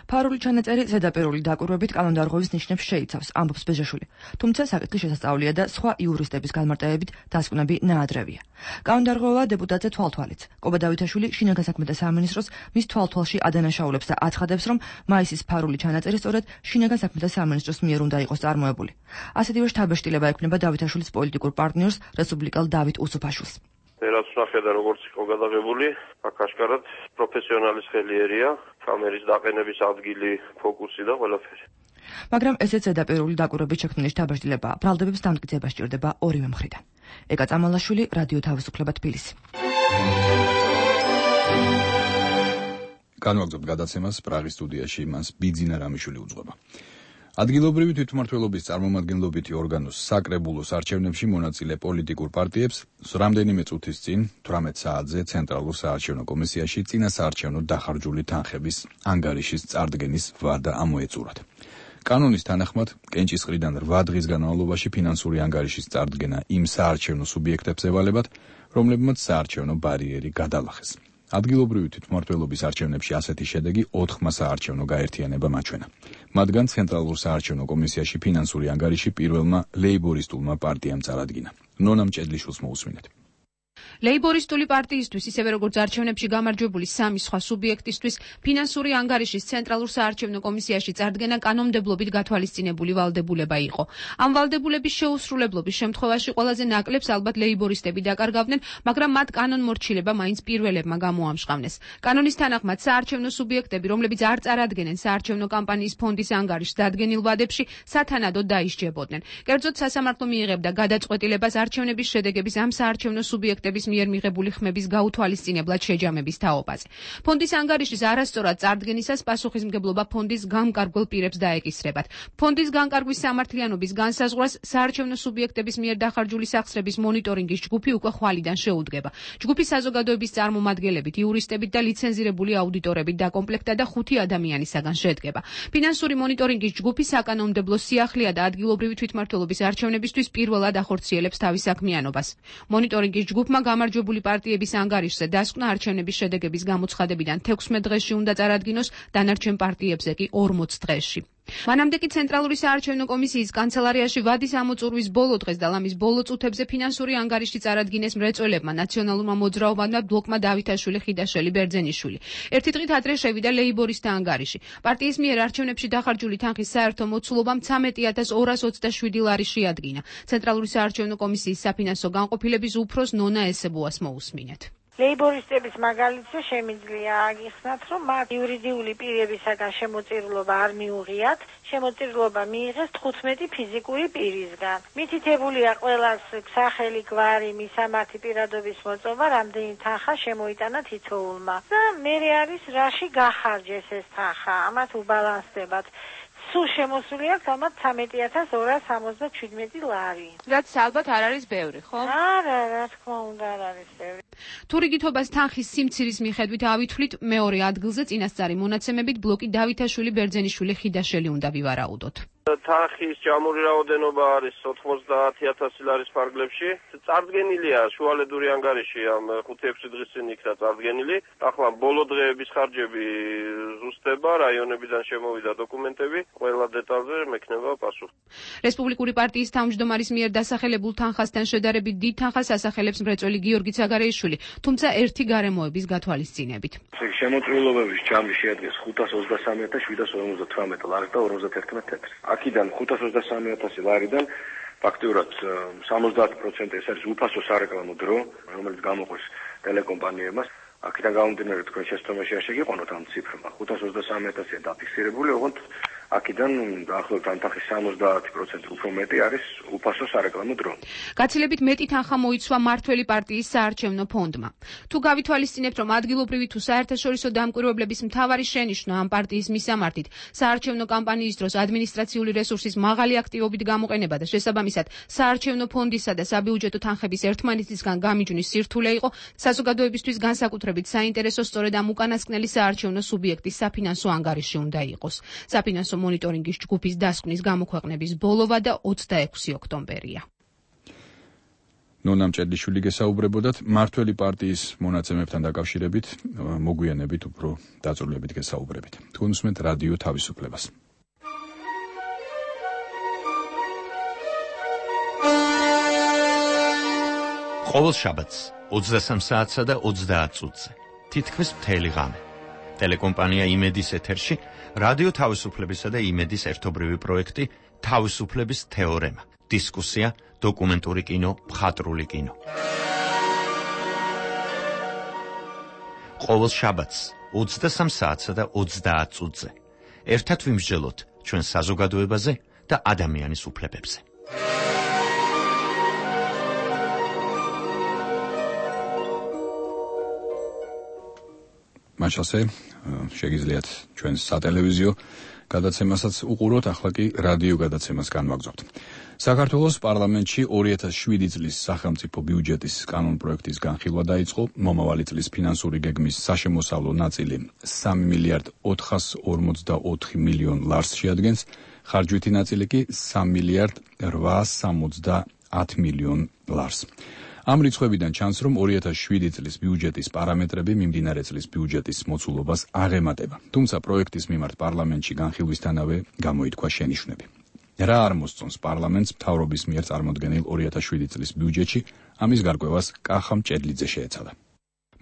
ფარული ჩანაწერი ზედაპირული დაკვირვებით კანონდარღვევის ნიშნებს შეიცავს, ამბობს ბეჟაშვილი. თუმცა საკითხი შესასწავლია და სხვა იურისტების განმარტებებით დასკვნები ნაადრევია. კანონდარღვევა დეპუტატზე თვალთვალიც. კობა დავითაშვილი შინაგან საქმეთა სამინისტროს მის თვალთვალში ადანაშაულებს და აცხადებს, რომ მაისის ფარული ჩანაწერი სწორედ შინაგან საქმეთა სამინისტროს მიერ უნდა იყოს წარმოებული. ასეთივე შთაბეჭდილება ექმნება დავითაშვილის პოლიტიკურ პარტნიორს რესპუბლიკელ დავით უსუფაშვილს. რაც ნახე და როგორც იყო გადაღებული, აქ აშკარად პროფესიონალის ხელი ერია, კამერის დაყენების ადგილი, ფოკუსი და ყველაფერი. მაგრამ ესეც ზედაპირული დაკვირვებით შექმნილი შთაბეჭდილება ბრალდებებს დამტკიცება სჭირდება ორივე მხრიდან. ეკა წამალაშვილი, რადიო თავისუფლება თბილისი. განვაგრძობთ გადაცემას პრაღის სტუდიაში, მას ბიძინა რამიშვილი უძღვება. ადგილობრივი თვითმმართველობის წარმომადგენლობითი ორგანოს საკრებულოს არჩევნებში მონაწილე პოლიტიკურ პარტიებს რამდენიმე წუთის წინ თვრამეტ საათზე ცენტრალურ საარჩევნო კომისიაში წინასაარჩევნო დახარჯული თანხების ანგარიშის წარდგენის ვადა ამოეწურათ. კანონის თანახმად, კენჭისყრიდან რვა დღის განმავლობაში ფინანსური ანგარიშის წარდგენა იმ საარჩევნო სუბიექტებს ევალებათ, რომლებმაც საარჩევნო ბარიერი გადალახეს. ადგილობრივი თვითმმართველობის არჩევნებში ასეთი შედეგი ოთხმა საარჩევნო გაერთიანებამ აჩვენა. მათგან ცენტრალურ საარჩევნო კომისიაში ფინანსური ანგარიში პირველმა ლეიბორისტულმა პარტიამ წარადგინა. ნონა მჭედლიშვილს მოусმინეთ. ლეიბორისტული პარტიისთვის, ისევე როგორც არჩევნებში გამარჯვებული სამი სხვა სუბიექტისთვის, ფინანსური ანგარიშის ცენტრალურ საარჩევნო კომისიაში წარდგენა კანონმდებლობით გათვალისწინებული ვალდებულება იყო. ამ ვალდებულების შეუსრულებლობის შემთხვევაში ყველაზე ნაკლებს ალბათ ლეიბორისტები დაკარგავდნენ, მაგრამ მათ კანონმორჩილება მაინც პირველებმა გამოამჟღავნეს. კანონის თანახმად საარჩევნო სუბიექტები, რომლებიც არ წარადგენენ საარჩევნო კამპანიის ფონდის ანგარიშს დადგენილ ვადებში, სათანადოდ დაისჯებოდნენ. კერძოდ, სასამართლო მიიღებდა გადაწყვეტილებას არჩევნების შედეგების ამ საარჩევნო სუბიექტების მიერ მიღებული ხმების გაუთვალისწინებლად შეჯამების თაობაზე. ფონდის ანგარიშის არასწორად წარდგენისას პასუხისმგებლობა ფონდის გამკარგვალ პირებს დაეკისრებათ. ფონდის განკარგვის სამართლიანობის განსაზღვრას საარჩევნო სუბიექტების მიერ დახარჯული სახსრების მონიტორინგის ჯგუფი უკვე ხვალიდან შეუდგება. ჯგუფი საზოგადოების წარმომადგენლებით, იურისტებით და ლიცენზირებული აუდიტორებით დაკომპლექტდა და ხუთი ადამიანისაგან შედგება. ფინანსური მონიტორინგის ჯგუფი საკანონმდებლო სიახლეა და ადგილობრივი თვითმმართველობის არჩევნებისთვის პირველად ახორციელებს თავის საქმიანობას. მონიტორინგის ჯგუფმა გამარჯვებული პარტიების ანგარიშზე დასკვნა არჩევნების შედეგების გამოცხადებიდან თექვსმეტ დღეში უნდა წარადგინოს, დანარჩენ პარტიებზე კი ორმოც დღეში. მანამდე კი ცენტრალური საარჩევნო კომისიის კანცელარიაში ვადის ამოწურვის ბოლო დღეს და ლამის ბოლო წუთებზე ფინანსური ანგარიში წარადგინეს მრეწველებმა, ნაციონალურმა მოძრაობამ და ბლოკმა დავითაშვილი, ხიდაშვილი, ბერძენიშვილი. ერთი დღით ადრე შევიდა ლეიბორისტთა ანგარიში. პარტიის მიერ არჩევნებში დახარჯული თანხის საერთო მოცულობა მცამეტი ათას ორას ოცდაშვიდი ლარი შეადგინა. ცენტრალური საარჩევნო კომისიის საფინანსო განყოფილების უფროს ნონა ესებუას მოусმინეთ. ლეიბორისტების მაგალითზე შემიძლია აგიხსნათ, რომ მათ იურიდიული პირებისაგან შემოწირულობა არ მიუღიათ, შემოწირულობა მიიღეს თხუთმეტი ფიზიკური პირისგან. მითითებულია ყველას სახელი, გვარი, მისამართი პირადობის მოწობა, რამდენი თანხა შემოიტანა თითოეულმა. და მერე არის რაში გახარჯეს ეს თანხა, ამათ უბალანსდებათ. სულ შემოსული აქვს ამათ ცამეტი ათას ორას სამოცდაშვიდი ლარი. რაც ალბათ არ არის ბევრი, ხო? არა, რა თქმა უნდა არ არის ბევრი. თუ რიგითობას თანხის სიმცირის მიხედვით ავითვლით, მეორე ადგილზე წინასწარი მონაცემებით ბლოკი დავითაშვილი, ბერძენიშვილი, ხიდაშელი უნდა ვივარაუდოთ. თანხის ჯამური რაოდენობა არის ოთხმოცდაათი ათასი ლარის ფარგლებში. წარდგენილია შუალედური ანგარიში ამ ხუთი ექვსი დღის წინ იქნა წარდგენილი. ახლა ბოლო დღეების ხარჯები ზუსტება, რაიონებიდან შემოვიდა დოკუმენტები, ყველა დეტალზე მექნება პასუხი. რესპუბლიკური პარტიის თავმჯდომარის მიერ დასახელებულ თანხასთან შედარებით დიდ თანხას ასახელებს მრეწველი გიორგი ცაგარეიშვილი, თუმცა ერთი გარემოების გათვალისწინებით. შემოწირულობების ჯამი შეადგენს ხუთას ოცდასამი ათას შვიდას ორმოცდათვრამეტი ლარი და ორმოცდაერთმეტ ცენტრს. აქედან ხუთას ოცდასამი ათასი ლარიდან ფაქტიურად სამოცდაათი პროცენტი ეს არის უფასო სარეკლამო დრო, რომელიც გამოყვეს ტელეკომპანიებმა. აქედან გამომდინარე თქვენ შეცდომაში არ შეგიყვანოთ ამ ციფრმა. ხუთას ოცდასამი ათასია დაფიქსირებული, ოღონდ აქედან დაახლოებით ამ თანხის სამოცდაათი პროცენტი უფრო მეტი არის უფასო სარეკლამო დრო. გაცილებით მეტი თანხა მოიცვა მართველი პარტიის საარჩევნო ფონდმა. თუ გავითვალისწინებთ, რომ ადგილობრივი თუ საერთაშორისო დამკვირვებლების მთავარი შენიშვნა ამ პარტიის მისამართით საარჩევნო კამპანიის დროს ადმინისტრაციული რესურსის მაღალი აქტივობით გამოყენება და შესაბამისად საარჩევნო ფონდისა და საბიუჯეტო თანხების ერთმანეთისგან გამიჯვნის სირთულე იყო, საზოგადოებისთვის განსაკუთრებით საინტერესო სწორედ ამ უკანასკნელი საარჩევნო სუბიექტის საფინანსო ანგარიში უნდა იყოს. საფინანსო მონიტორინგის ჯგუფის დასკვნის გამოქვეყნების ბოლოვა და ოცდაექვსი ოქტომბერია. ნონა მჭედლიშვილი გესაუბრებოდათ მართველი პარტიის მონაცემებთან დაკავშირებით, მოგვიანებით უფრო დაწვრილებით გესაუბრებით. თქვენ უსმენთ რადიო თავისუფლებას. ყოველ შაბათს ოცდასამ საათსა და ოცდაათ წუთზე თითქმის მთელი ღამე ტელეკომპანია იმედის ეთერში რადიო თავისუფლებისა და იმედის ერთობრივი პროექტი თავისუფლების თეორემა, დისკუსია, დოკუმენტური კინო, მხატვრული კინო. ყოველ შაბათს ოცდასამ საათსა და ოცდაათ წუთზე ერთად ვიმსჯელოთ ჩვენ საზოგადოებაზე და ადამიანის უფლებებზე. მაშასე შეგიძლიათ ჩვენს სატელევიზიო გადაცემასაც უყუროთ, ახლა კი რადიო გადაცემას განვაგრძობთ. საქართველოს პარლამენტში ორი ათას შვიდი წლის სახელმწიფო ბიუჯეტის კანონპროექტის განხილვა დაიწყო. მომავალი წლის ფინანსური გეგმის საშემოსავლო ნაწილი სამი მილიარდ ოთხას ორმოცდაოთხი მილიონ ლარს შეადგენს, ხარჯვითი ნაწილი კი სამი მილიარდ რვაას სამოცდაათ მილიონ ლარს. ამ რიცხვებიდან ჩანს, რომ ორი ათას შვიდი წლის ბიუჯეტის პარამეტრები მიმდინარე წლის ბიუჯეტის მოცულობას აღემატება. თუმცა პროექტის მიმართ პარლამენტში განხილვისთანავე გამოითქვა შენიშვნები. რა არ მოსწონს პარლამენტს მთავრობის მიერ წარმოდგენილ ორი ათას შვიდი წლის ბიუჯეტში, ამის გარკვევას კახა მჭედლიძე შეეცადა.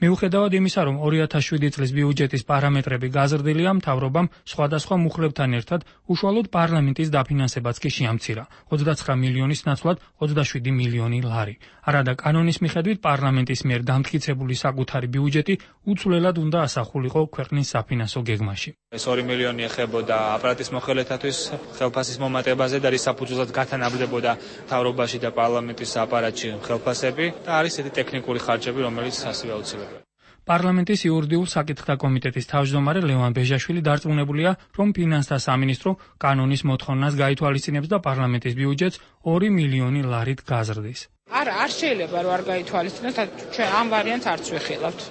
მიუხედავად იმისა, რომ ორი ათას შვიდი წლის ბიუჯეტის პარამეტრები გაზრდილია, მთავრობამ სხვადასხვა მუხლებთან ერთად უშუალოდ პარლამენტის დაფინანსებაც კი შეამცირა ოცდაცხრა მილიონის ნაცვლად ოცდაშვიდი მილიონი ლარი. არადა კანონის მიხედვით პარლამენტის მიერ დამტკიცებული საკუთარი ბიუჯეტი უცვლელად უნდა ასახულიყო ქვეყნის საფინანსო გეგმაში. ეს ორი მილიონი ეხებოდა აპარატის მოხელეთათვის ხელფასის მომატებაზე და რის საფუძველად გათანაბრდებოდა მთავრობაში და პარლამენტის აპარატში ხელფასები და არის ესეთი ტექნიკური ხარჯები, რომელიც ასევე აუცილებელია. პარლამენტის იურიდიულ საკითხთა კომიტეტის თავმჯდომარე ლევან ბეჟაშვილი დარწმუნებულია, რომ ფინანსთა სამინისტრო კანონის მოთხოვნას გაითვალისწინებს და პარლამენტის ბიუჯეტს ორი მილიონი ლარით გაზრდის. არა, არ შეიძლება რომ არ გაითვალისწინოთ, ჩვენ ამ ვარიანტს არც ვიხილავთ.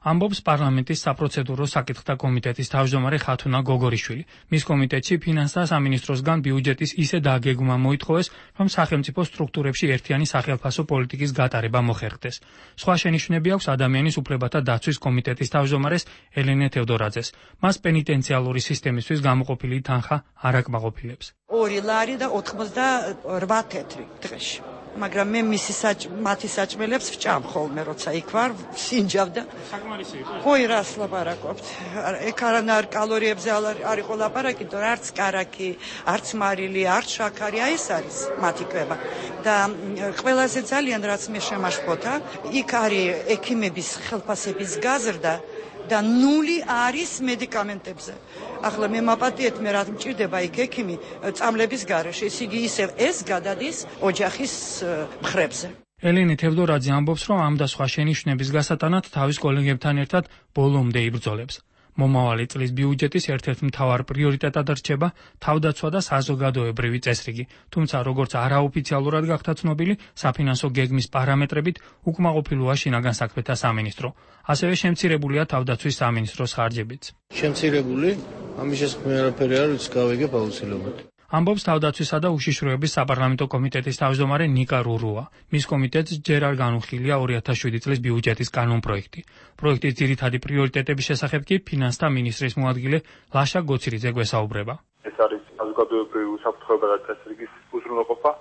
ამბობს პარლამენტის საპროცედურო საკითხთა კომიტეტის თავმჯდომარე ხათუნა გოგორიშვილი. მის კომიტეტში ფინანსთა სამინისტროსგან ბიუჯეტის ისე დაგეგმა მოითხოვეს, რომ სახელმწიფო სტრუქტურებში ერთიანი სახელფასო პოლიტიკის გატარება მოხერხდეს. სხვა შენიშვნები აქვს ადამიანის უფლებათა დაცვის კომიტეტის თავმჯდომარეს ელენე თევდორაძეს. მას პენიტენციალური სისტემისთვის გამოყოფილი თანხა არ აკმაყოფილებს. ორი ლარი და ოთხმოცდაორბა თეთრი დღეში. მაგრამ მე მისი მათი საჭმელებს ვჭამ ხოლმე, როცა იქ ვარ, სინჯავ და საკმარისი იყო. ხოი რას ლაპარაკობთ? ეგ არანაირ კალორიებზე არ იყო ლაპარაკი, თორე არც კარაკი, არც მარილი, არც შაქარი, აი ეს არის მათი კვება. და ყველაზე ძალიან რაც მე შემაშფოთა, იქ არის ექიმების ხელფასების გაზრდა და ნული არის მედიკამენტებზე. ახლა მე მაპატიეთ მე რა მჭირდება იქ ექიმი წამლების გარეშე, ესე იგი ისევ ეს გადადის ოჯახის მხრებზე. ელენე თევდორაძე ამბობს, რომ ამ და სხვა შენიშვნების გასატანად თავის კოლეგებთან ერთად ბოლომდე იბრძოლებს. მომავალი წლის ბიუჯეტის ერთ-ერთ მთავარ პრიორიტეტად რჩება თავდაცვა და საზოგადოებრივი წესრიგი. თუმცა, როგორც არაოფიციალურად გახდა ცნობილი, საფინანსო გეგმის პარამეტრებით უკმაყოფილოა შინაგან საქმეთა სამინისტრო. ასევე შემცირებულია თავდაცვის სამინისტროს ხარჯებიც. შემცირებული? ამის შესაქმნელი არაფერი არ ვიცი, გავიგებ აუცილებლად. ამბობს თავდაცვისა და უშიშროების საპარლამენტო კომიტეტის თავმჯდომარე ნიკა რურუა. მის კომიტეტს ჯერ არ განუხილია ორი ათას შვიდი წლის ბიუჯეტის კანონპროექტი. პროექტის ძირითადი პრიორიტეტების შესახებ კი ფინანსთა მინისტრის მოადგილე ლაშა გოცირიძე გვესაუბრება. ეს არის საზოგადოებრივი უსაფრთხოება და წესრიგის უზრუნველყოფა,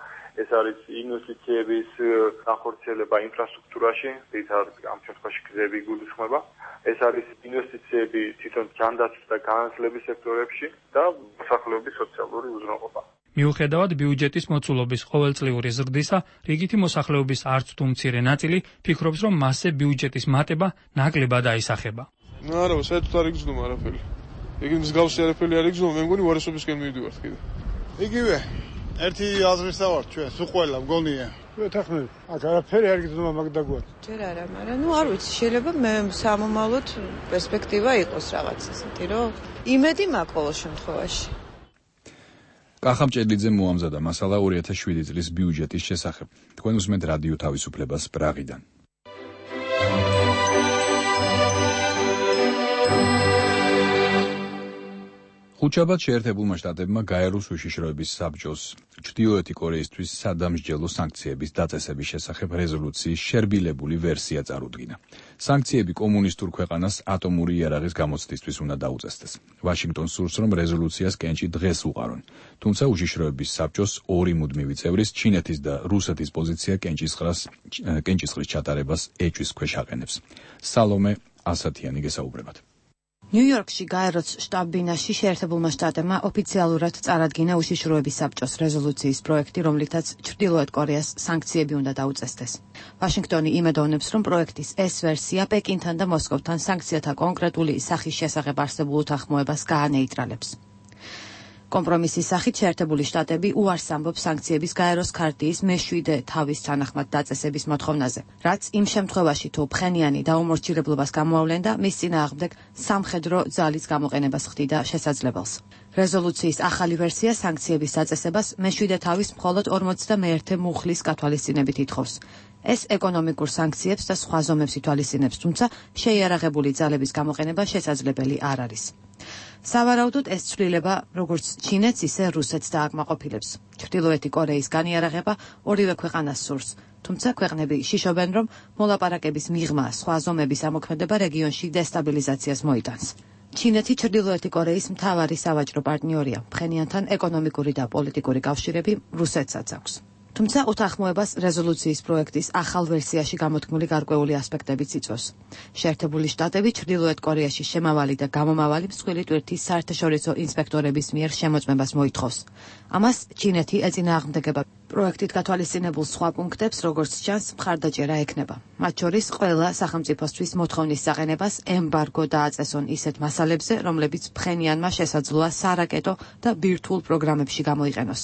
ეს არის ინვესტიციების განხორციელება ინფრასტრუქტურაში, ძირითადად ამ შემთხვევაში გზები გულისხმობა. ეს არის ინვესტიციები თვითონ ჯანდაცვის და განათლების სექტორებში და მოსახლეობის სოციალური უზრუნველყოფა. მიუხედავად ბიუჯეტის მოცულობის ყოველწლიური ზრდისა, რიგითი მოსახლეობის არც თუ მცირე ნაწილი ფიქრობს, რომ მასზე ბიუჯეტის მატება ნაკლებად აისახება. ნუ არა, საერთოდ არ იგრძნობა არაფერი. იგი მსგავსი არაფერი არ იგრძნობა, მე მგონი უარესობისკენ მივიდივართ კიდე. იგივე ერთი აზრისა ვართ ჩვენ, სულ ყველა მგონია. ვეთახმები. აქ არაფერი არ იგრძნობა მაგდაგوار. ჯერ არა, მაგრამ ნუ არ ვიცი, შეიძლება მე სამომავლოდ პერსპექტივა იყოს რაღაც ისეთი, რომ იმედი მაქვს ყოველ შემთხვევაში. კახა მჭედლიძემ მოამზადა მასალა ორი ათას შვიდი წლის ბიუჯეტის შესახებ. თქვენ უსმენთ რადიო თავისუფლებას პრაღიდან. ხუთშაბათ შეერთებულმა შტატებმა გაეროს უშიშროების საბჭოს ჩრდილოეთი კორეისთვის სადამსჯელო სანქციების დაწესების შესახებ რეზოლუციის შერბილებული ვერსია წარუდგინა. სანქციები კომუნისტურ ქვეყანას ატომური იარაღის გამოცდისთვის უნდა დაუწესდეს. ვაშინგტონს სურს, რომ რეზოლუციას კენჭი დღეს უყარონ. თუმცა უშიშროების საბჭოს ორი მუდმივი წევრის, ჩინეთის და რუსეთის პოზიცია კენჭისყრას კენჭისყრის ჩატარებას ეჭვის ქვეშ აყენებს. სალომე ასათიანი გესაუბრებათ. ნიუ-იორკში გაეროს შტაბ-ბინაში შეერთებულმა შტატებმა ოფიციალურად წარადგინა უშიშროების საბჭოს რეზოლუციის პროექტი, რომლითაც ჩრდილოეთ კორეას სანქციები უნდა დაუწესდეს. ვაშინგტონი იმედოვნებს, რომ პროექტის ეს ვერსია პეკინთან და მოსკოვთან სანქციათა კონკრეტული სახის შესახებ არსებულ უთანხმოებას გაანეიტრალებს. კომპრომისის სახით შეერთებული შტატები უარს ამბობს სანქციების გაეროს ქარტიის მეშვიდე თავის თანახმად დაწესების მოთხოვნაზე, რაც იმ შემთხვევაში თუ ფხენიანი დაუმორჩილებლობას გამოავლენდა, მის წინააღმდეგ სამხედრო ძალის გამოყენებას ხდიდა შესაძლებელს. რეზოლუციის ახალი ვერსია სანქციების დაწესებას მეშვიდე თავის მხოლოდ ორმოცდამეერთე მუხლის გათვალისწინებით ითხოვს. ეს ეკონომიკურ სანქციებს და სხვა ზომებს ითვალისწინებს, თუმცა შეიარაღებული ძალების გამოყენება შესაძლებელი არ არის. სავარაუდოდ ეს ცვლილება როგორც ჩინეთს, ისე რუსეთს დააკმაყოფილებს. ჩრდილოეთი კორეის განიარაღება ორივე ქვეყანას სურს. თუმცა ქვეყნები შიშობენ, რომ მოლაპარაკების მიღმა სხვა ზომების ამოქმედება რეგიონში დესტაბილიზაციას მოიტანს. ჩინეთი ჩრდილოეთი კორეის მთავარი სავაჭრო პარტნიორია. ფხენიანთან ეკონომიკური და პოლიტიკური კავშირები რუსეთსაც აქვს. თუმცა უთანხმოებას რეზოლუციის პროექტის ახალ ვერსიაში გამოთქმული გარკვეული ასპექტებიც იწვევს. შეერთებული შტატები ჩრდილოეთ კორეაში შემავალი და გამომავალი მსხვილი ტვირთის საერთაშორისო ინსპექტორების მიერ შემოწმებას მოითხოვს. ამას ჩინეთი ეწინააღმდეგება. პროექტით გათვალისწინებულ სხვა პუნქტებს, როგორც ჩანს, მხარდაჭერა ექნება. მათ შორის ყველა სახელმწიფოსთვის მოთხოვნის საყენებას ემბარგო დააწესონ ისეთ მასალებზე, რომლებიც ფხენიანმა შესაძლოა სარაკეტო და ბირთვულ პროგრამებში გამოიყენოს.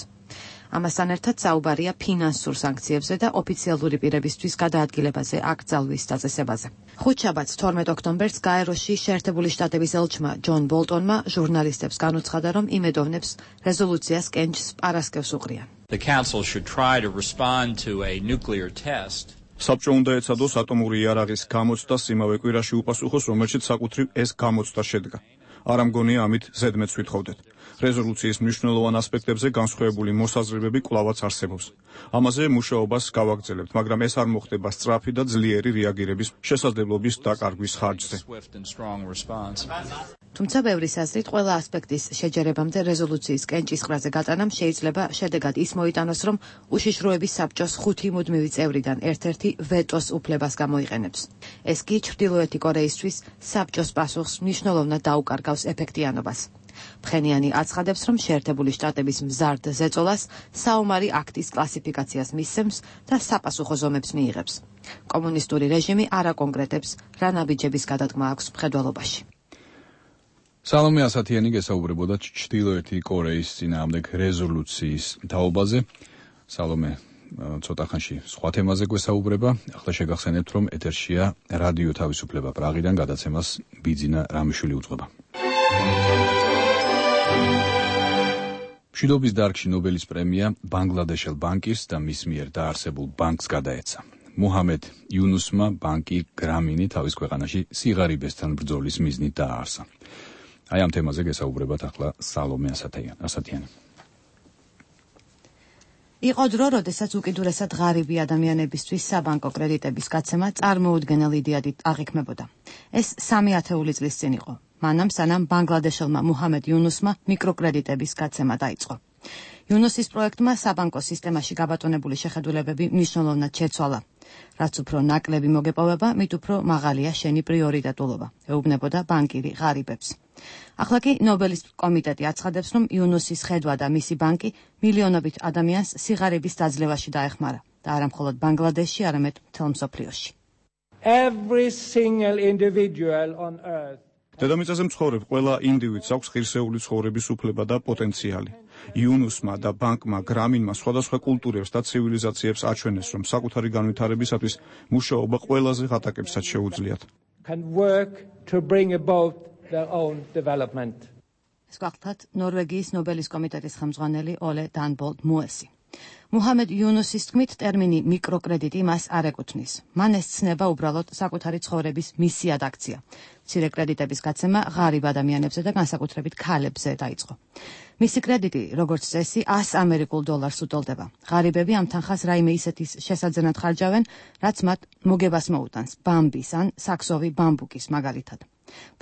ამასთან ერთად საუბარია ფინანსურ სანქციებზე და ოფიციალური პირებისთვის გადაადგილებაზე აკრძალვის დაწესებაზე. ხუთშაბათს თორმეტ ოქტომბერს გაეროში შეერთებული შტატების ელჩმა ჯონ ბოლტონმა ჟურნალისტებს განუცხადა, რომ იმედოვნებს რეზოლუციას კენჭს პარასკევს უყრიან. The council should try to respond to a nuclear test. საბჭო უნდა ეცადოს ატომური იარაღის გამოცდას იმავე კვირაში უპასუხოს, რომელშიც საკუთრივ ეს გამოცდა შედგა. არ ამგონია ამით ზედმეტს ვითხოვდეთ. რეზოლუციის მნიშვნელოვან ასპექტებზე განსხვავებული მოსაზრებები კვლავაც არსებობს. ამაზე მუშაობას გავაგრძელებთ, მაგრამ ეს არ მოხდება სწრაფი და ძლიერი რეაგირების შესაძლებლობის დაკარგვის ხარჯზე. თუმცა ბევრის აზრით ყველა ასპექტის შეჯერებამდე რეზოლუციის კენჭისყრაზე გატანამ შეიძლება შედეგად ის მოიტანოს, რომ უშიშროების საბჭოს ხუთი მუდმივი წევრიდან ერთ-ერთი ვეტოს უფლებას გამოიყენებს. ეს კი ჩრდილოეთი კორეისთვის საბჭოს პასუხს მნიშვნელოვნად დაუკარგავს ეფექტიანობას. ფხენიანი აცხადებს, რომ შეერთებული შტატების მზარდ ზეწოლას საომარი აქტის კლასიფიკაციას მისცემს და საპასუხო ზომებს მიიღებს. კომუნისტური რეჟიმი არ აკონკრეტებს, რა ნაბიჯების გადადგმა აქვს მხედველობაში. სალომე ასათიანი გესაუბრებოდა ჩრდილოეთი კორეის წინააღმდეგ რეზოლუციის თაობაზე. სალომე ცოტა ხანში სხვა თემაზე გვესაუბრება. ახლა შეგახსენებთ, რომ ეთერშია რადიო თავისუფლება პრაღიდან გადაცემას ბიძინა რამიშვილი უძღვება. მშვიდობის დარგში ნობელის პრემია ბანგლადეშელ ბანკის და მის მიერ დაარსებულ ბანკს გადაეცა. მუჰამედ იუნუსმა ბანკი გრამინი თავის ქვეყანაში სიღარიბესთან ბრძოლის მიზნით დააარსა. აი ამ თემაზე გესაუბრებათ ახლა სალომე ასათიანი. იყო დრო, როდესაც უკიდურესად ღარიბი ადამიანებისთვის საბანკო კრედიტების გაცემა წარმოუდგენელ იდეად აღიქმებოდა. ეს სამი ათეული წლის წინ იყო. მანამ სანამ ბანგლადეშელმა მუჰამედ იუნუსმა მიკროკრედიტების გაცემა დაიწყო. იუნუსის პროექტმა საბანკო სისტემაში გაბატონებული შეხედულებები მნიშვნელოვნად შეცვალა. რაც უფრო ნაკლები მოგეპოვება, მით უფრო მაღალია შენი პრიორიტეტულობა, ეუბნებოდა ბანკირი ღარიბებს. ახლა კი ნობელის კომიტეტი აცხადებს, რომ იუნუსის ხედვა და მისი ბანკი მილიონობით ადამიანს სიღარიბის დაძლევაში დაეხმარა და არა მხოლოდ ბანგლადეშში, არამედ მთელ მსოფლიოში. Every single individual on earth დედამიწაზე მცხოვრებ ყველა ინდივიდს აქვს ღირსეული ცხოვრების უფლება და პოტენციალი. იუნუსმა და ბანკმა გრამინმა სხვადასხვა კულტურებს და ცივილიზაციებს აჩვენეს, რომ საკუთარი განვითარებისათვის მუშაობა ყველაზე ღატაკებსაც შეუძლიათ. can work to bring about their own development. ეს გახლავთ ნორვეგიის ნობელის კომიტეტის ხელმძღვანელი ოლე დანბოლდ მუესი. მუჰამედ იუნუსის თქმით, ტერმინი მიკროკრედიტი მას არ ეკუთვნის. მან ეს ცნება უბრალოდ საკუთარი ცხოვრების მისიად აქცია. მცირე კრედიტების გაცემა ღარიბ ადამიანებზე და განსაკუთრებით ქალებზე დაიწყო. მისი კრედიტი, როგორც წესი, ას ამერიკულ დოლარს უტოლდება. ღარიბები ამ თანხას რაიმე ისეთის შესაძენად ხარჯავენ, რაც მათ მოგებას მოუტანს, ბამბის ან საქსოვი ბამბუკის მაგალითად.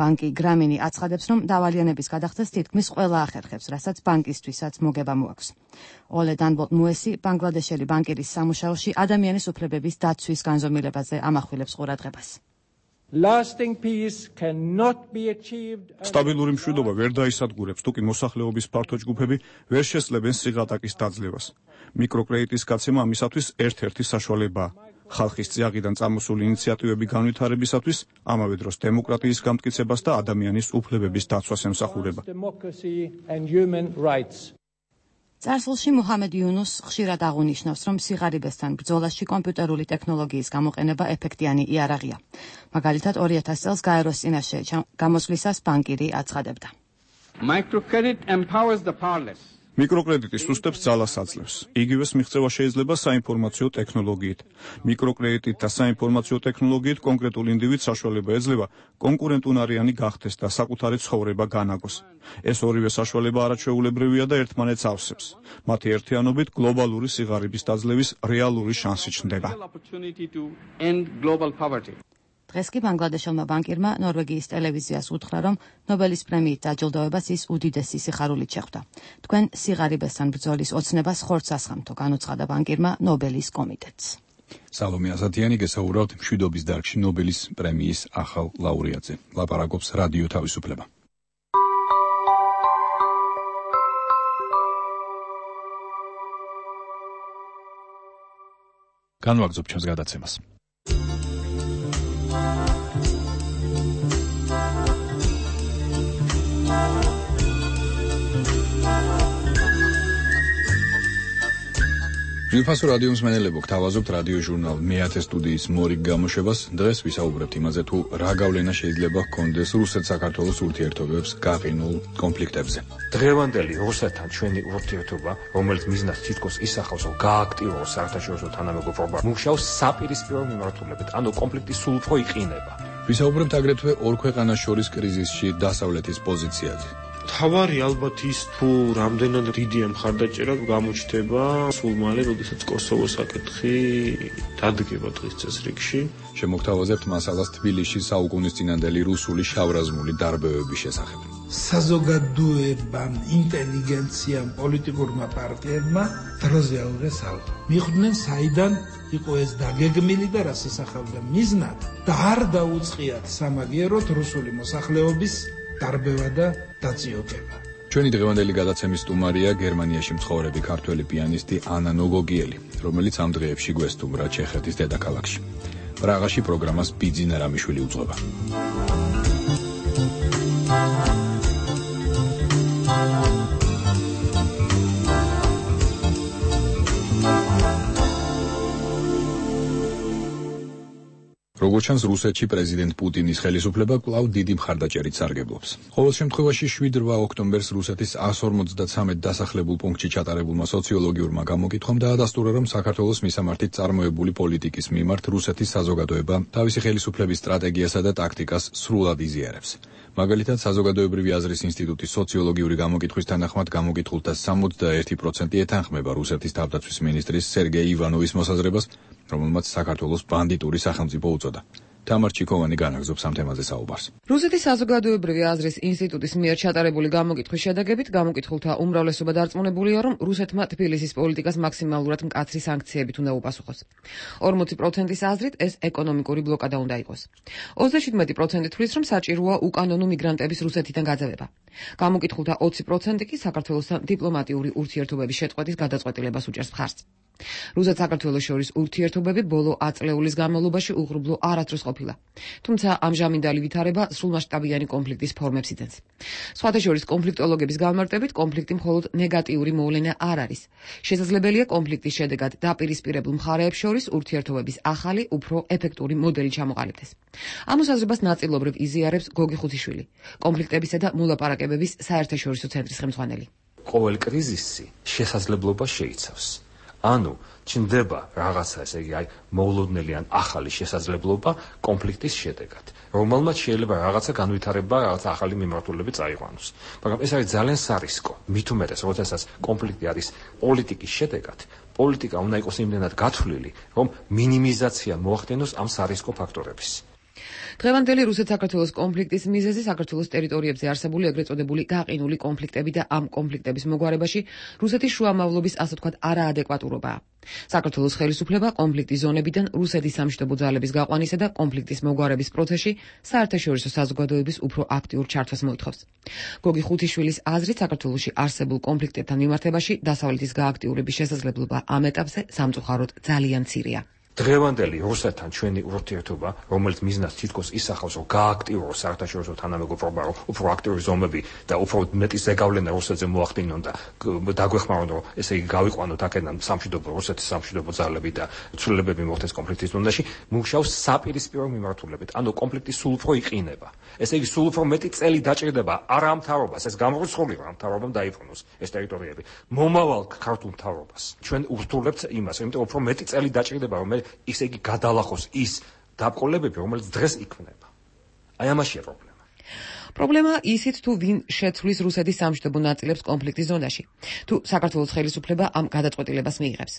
ბანკი გრამინი აცხადებს, რომ დავალიანების გადახდას თითქმის ყველა ახერხებს, რასაც ბანკისთვისაც მოგება მოაქვს. ოლე დანბოლდ მუესი ბანგლადეშელი ბანკირის სამუშაოში ადამიანის უფლებების დაცვის განზომილებაზე ამახვილებს ყურადღებას. Lasting peace cannot be achieved. სტაბილური მშვიდობა ვერ დაისადგურებს, თუ კი მოსახლეობის ფართო ჯგუფები ვერ შესწლებენ სიღატაკის დაძლევას. მიკროკრედიტის გაცემა ამისათვის ერთ-ერთი საშუალებაა. ხალხის წიაღიდან წამოსული ინიციატივები განვითარებისათვის, ამავე დროს დემოკრატიის გამტკიცებას და ადამიანის უფლებების დაცვას ემსახურება. წარსულში მუჰამედ იუნუს ხშირად აღუნიშნავს, რომ სიღარიბესთან ბრძოლაში კომპიუტერული ტექნოლოგიის გამოყენება ეფექტიანი იარაღია. მაგალითად, ორი ათასი წელს გაეროს წინაშე გამოსვლისას ბანკირი აცხადებდა. Microcredit empowers the powerless. მიკროკრედიტი სუსტებს ძალას აძლევს. იგივეს მიღწევა შეიძლება საინფორმაციო ტექნოლოგიით. მიკროკრედიტით და საინფორმაციო ტექნოლოგიით კონკრეტულ ინდივიდს საშუალება ეძლევა კონკურენტუნარიანი გახდეს და საკუთარი ცხოვრება განაგოს. ეს ორივე საშუალება არაჩვეულებრივია და ერთმანეთს ავსებს. მათი ერთიანობით გლობალური სიღარიბის დაძლევის რეალური შანსი ჩნდება. დღეს კი ბანგლადეშელმა ბანკირმა ნორვეგიის ტელევიზიას უთხრა, რომ ნობელის პრემიით დაჯილდოებას ის უდიდესი სიხარულით შეხვდა. თქვენ სიღარიბესთან ბრძოლის ოცნებას ხორცს ასხამთო, განუცხადა ბანკირმა ნობელის კომიტეტს. სალომე ასათიანი გესაურავთ მშვიდობის დარგში ნობელის პრემიის ახალ ლაურეატზე. ლაპარაკობს რადიო თავისუფლება. განვაგრძობ ჩვენს გადაცემას. ძვირფასო რადიო მსმენელებო, გთავაზობთ რადიო ჟურნალ მეათე სტუდიის მორიგ გამოშვებას. დღეს ვისაუბრებთ იმაზე, თუ რა გავლენა შეიძლება ჰქონდეს რუსეთ-საქართველოს ურთიერთობებს გაყინულ კონფლიქტებზე. დღევანდელი რუსეთთან ჩვენი ურთიერთობა, რომელიც მიზნად თითქოს ისახავს, რომ გააქტივოს საერთაშორისო თანამეგობრობა, მუშაობს საპირისპირო მიმართულებით, ანუ კონფლიქტი სულ უფრო იყინება. ვისაუბრებთ აგრეთვე ორ ქვეყანას შორის კრიზისში დასავლეთის პოზიციაზე. თავარი ალბათ ის თუ რამდენად დიდია მხარდაჭერა გამოჩნდება სულ მალე, როდესაც კოსოვოს საკითხი დადგება დღის წესრიგში. შემოგთავაზებთ მასალას თბილისში საუკუნის წინანდელი რუსული შავრაზმული დარბევების შესახებ. საზოგადოებამ, ინტელიგენციამ, პოლიტიკურმა პარტიებმა დროზე აუღეს ალყა. მიხვდნენ საიდან იყო ეს დაგეგმილი და რას ისახავდა მიზნად და არ დაუწყიათ სამაგიეროდ რუსული მოსახლეობის დარბევა და დაწიოკება. ჩვენი დღევანდელი გადაცემის სტუმარია გერმანიაში მცხოვრები ქართველი პიანისტი ანა ნოგოგიელი, რომელიც ამ დღეებში გვესტუმრა ჩეხეთის დედაქალაქში. პრაღაში პროგრამას ბიძინა რამიშვილი უძღვება. როგორც ჩანს, რუსეთში პრეზიდენტ პუტინის ხელისუფლება კვლავ დიდი მხარდაჭერით სარგებლობს. ყოველ შემთხვევაში შვიდ რვა ოქტომბერს რუსეთის εκατს ორმოცდათრამეტ დასახლებულ პუნქტში ჩატარებულმა სოციოლოგიურმა გამოკითხვამ დაადასტურა, რომ საქართველოს მისამართით წარმოებული პოლიტიკის მიმართ რუსეთის საზოგადოება თავისი ხელისუფლების სტრატეგიასა და ტაქტიკას სრულად იზიარებს. მაგალითად, საზოგადოებრივი აზრის ინსტიტუტის სოციოლოგიური გამოკითხვის თანახმად გამოკითხულთა სამოცდაერთი პროცენტი ეთანხმება რუსეთის თავდაცვის მინისტრის სერგეი ივანოვის მოსაზრებას, რომელმაც საქართველოს ბანდიტური სახელმწიფო უწოდა. თამარ ჩიქოვანი განაგზობს ამ თემაზე საუბარს. რუსეთის საზოგადოებრივი აზრის ინსტიტუტის მიერ ჩატარებული გამოკითხვის შედეგებით გამოკითხულთა უმრავლესობა დარწმუნებულია, რომ რუსეთმა თბილისის პოლიტიკას მაქსიმალურად მკაცრი სანქციებით უნდა უპასუხოს. ორმოცი პროცენტის აზრით ეს ეკონომიკური ბლოკადა უნდა იყოს. ოცდაშვიდმეტი პროცენტი თვლის, რომ საჭიროა უკანონო მიგრანტების რუსეთიდან გაძევება. გამოკითხულთა ოცი პროცენტი კი საქართველოსთან დიპლომატიური ურთიერთობების შეწყვეტის გადაწყვეტილებას უჭერს მხარს. რუსეთ-საქართველოს შორის ურთიერთობები ბოლო ათწლეულის განმავლობაში უღრუბლო არასდროს ყოფილა. თუმცა ამჟამინდელი ვითარება სრულმასშტაბიანი კონფლიქტის ფორმებს იძენს. სხვათა შორის კონფლიქტოლოგების განმარტებით კონფლიქტი მხოლოდ ნეგატიური მოვლენა არ არის. შესაძლებელია კონფლიქტის შედეგად დაპირისპირებულ მხარეებს შორის ურთიერთობების ახალი, უფრო ეფექტური მოდელი ჩამოყალიბდეს. ამ მოსაზრებას ნაწილობრივ იზიარებს გოგი ხუთიშვილი, კონფლიქტებისა და მოლაპარაკებების საერთაშორისო ცენტრის ხელმძღვანელი. ყოველ კრიზისი შესაძლებლობა შეიცავს. ანუ ჩნდება რაღაცა, ესე იგი, აი, მოულოდნელი ან ახალი შესაძლებლობა კონფლიქტის შედეგად, რომელმაც შეიძლება რაღაცა განვითარება, რაღაცა ახალი მიმართულები წაიყვანოს. მაგრამ ეს არის ძალიან სარისკო. მით უმეტეს, როდესაც კონფლიქტი არის პოლიტიკის შედეგად, პოლიტიკა უნდა იყოს იმდენად გათვლილი, რომ მინიმიზაცია მოახდენოს ამ სარისკო ფაქტორების. დღევანდელი რუსეთ-საქართველოს კონფლიქტის მიზეზი საქართველოს ტერიტორიებზე არსებული ეგრეთ წოდებული გაყინული კონფლიქტები და ამ კონფლიქტების მოგვარებაში რუსეთის შუამავლობის ასე ვთქვათ არაადეკვატურობაა. საქართველოს ხელისუფლება კონფლიქტის ზონებიდან რუსეთის სამშვიდობო ძალების გაყვანისა და კონფლიქტის მოგვარების პროცესში საერთაშორისო საზოგადოების უფრო აქტიურ ჩართვას მოითხოვს. გოგი ხუთიშვილის აზრით, საქართველოში არსებულ კონფლიქტებთან მიმართებაში დასავლეთის გააქტიურების შესაძლებლობა ამ ეტაპზე სამწუხაროდ ძალიან მცირეა. დღევანდელი რუსეთთან ჩვენი ურთიერთობა, რომელიც მიზნად თითქოს ისახავს, რომ გააქტიუროს საერთაშორისო თანამეგობრობა, რომ უფრო აქტიური ზომები და უფრო მეტი ზეგავლენა რუსეთზე მოახდინონ და დაგვეხმარონ, რომ ესე იგი გავიყვანოთ აქედან სამშვიდობო რუსეთის სამშვიდობო ძალები და ცვლილებები მოხდეს კონფლიქტის ზონაში, მუშაობს საპირისპირო მიმართულებით. ანუ კონფლიქტი სულ უფრო იყინება. ესე იგი სულ უფრო მეტი წელი დაჭირდება არა ამ მთავრობას, ეს გამორიცხული რა მთავრობამ დაიბრუნოს ეს ტერიტორიები. მომავალ ქართულ მთავრობას ჩვენ ურთულებთ იმას, იმიტომ უფრო მეტი წელი დაჭირდება, რომ ისე იგი გადალახოს ის დაბრკოლებები, რომელიც დღეს იქმნება. აი ამაშია პრობლემა. პრობლემა ისიც თუ ვინ შეცვლის რუსეთის სამშვიდობო ნაწილებს კონფლიქტის ზონაში. თუ საქართველოს ხელისუფლება ამ გადაწყვეტილებას მიიღებს.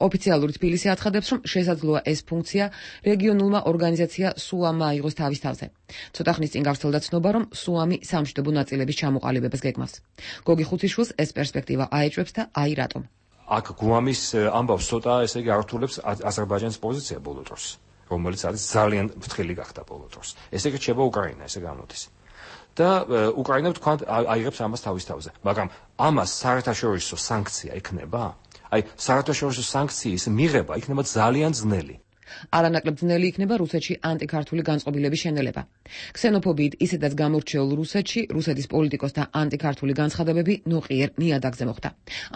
ოფიციალური თბილისი აცხადებს, რომ შესაძლოა ეს ფუნქცია რეგიონულმა ორგანიზაცია სუამმა აიღოს თავის თავზე. ცოტა ხნის წინ გავრცელდა ცნობა, რომ სუამი სამშვიდობო ნაწილების ჩამოყალიბებას გეგმავს. გოგი ხუთიშვილს ეს პერსპექტივა აეჭვებს და აი რატომ. აქ გუამის ამბავს ცოტა ესე იგი ართულებს აზერბაიჯანის პოზიცია ბოლო დროს, რომელიც არის ძალიან ფრთხილი გახდა ბოლო დროს. ესე იგი რჩება უკრაინა, ესე გამოდის. და უკრაინა თქვენ აიღებს ამას თავის თავზე, მაგრამ ამას საერთაშორისო სანქცია იქნება? აი საერთაშორისო სანქციის მიღება იქნება ძალიან ძნელი. არანაკლებ ძნელი იქნება რუსეთში ანტიქართული განწყობილების შენელება. ქსენოფობიით ისედაც გამორჩეულ რუსეთში რუსეთის პოლიტიკოსთა ანტიქართული განცხადებები ნოყიერ ნიადაგზე მოხდა.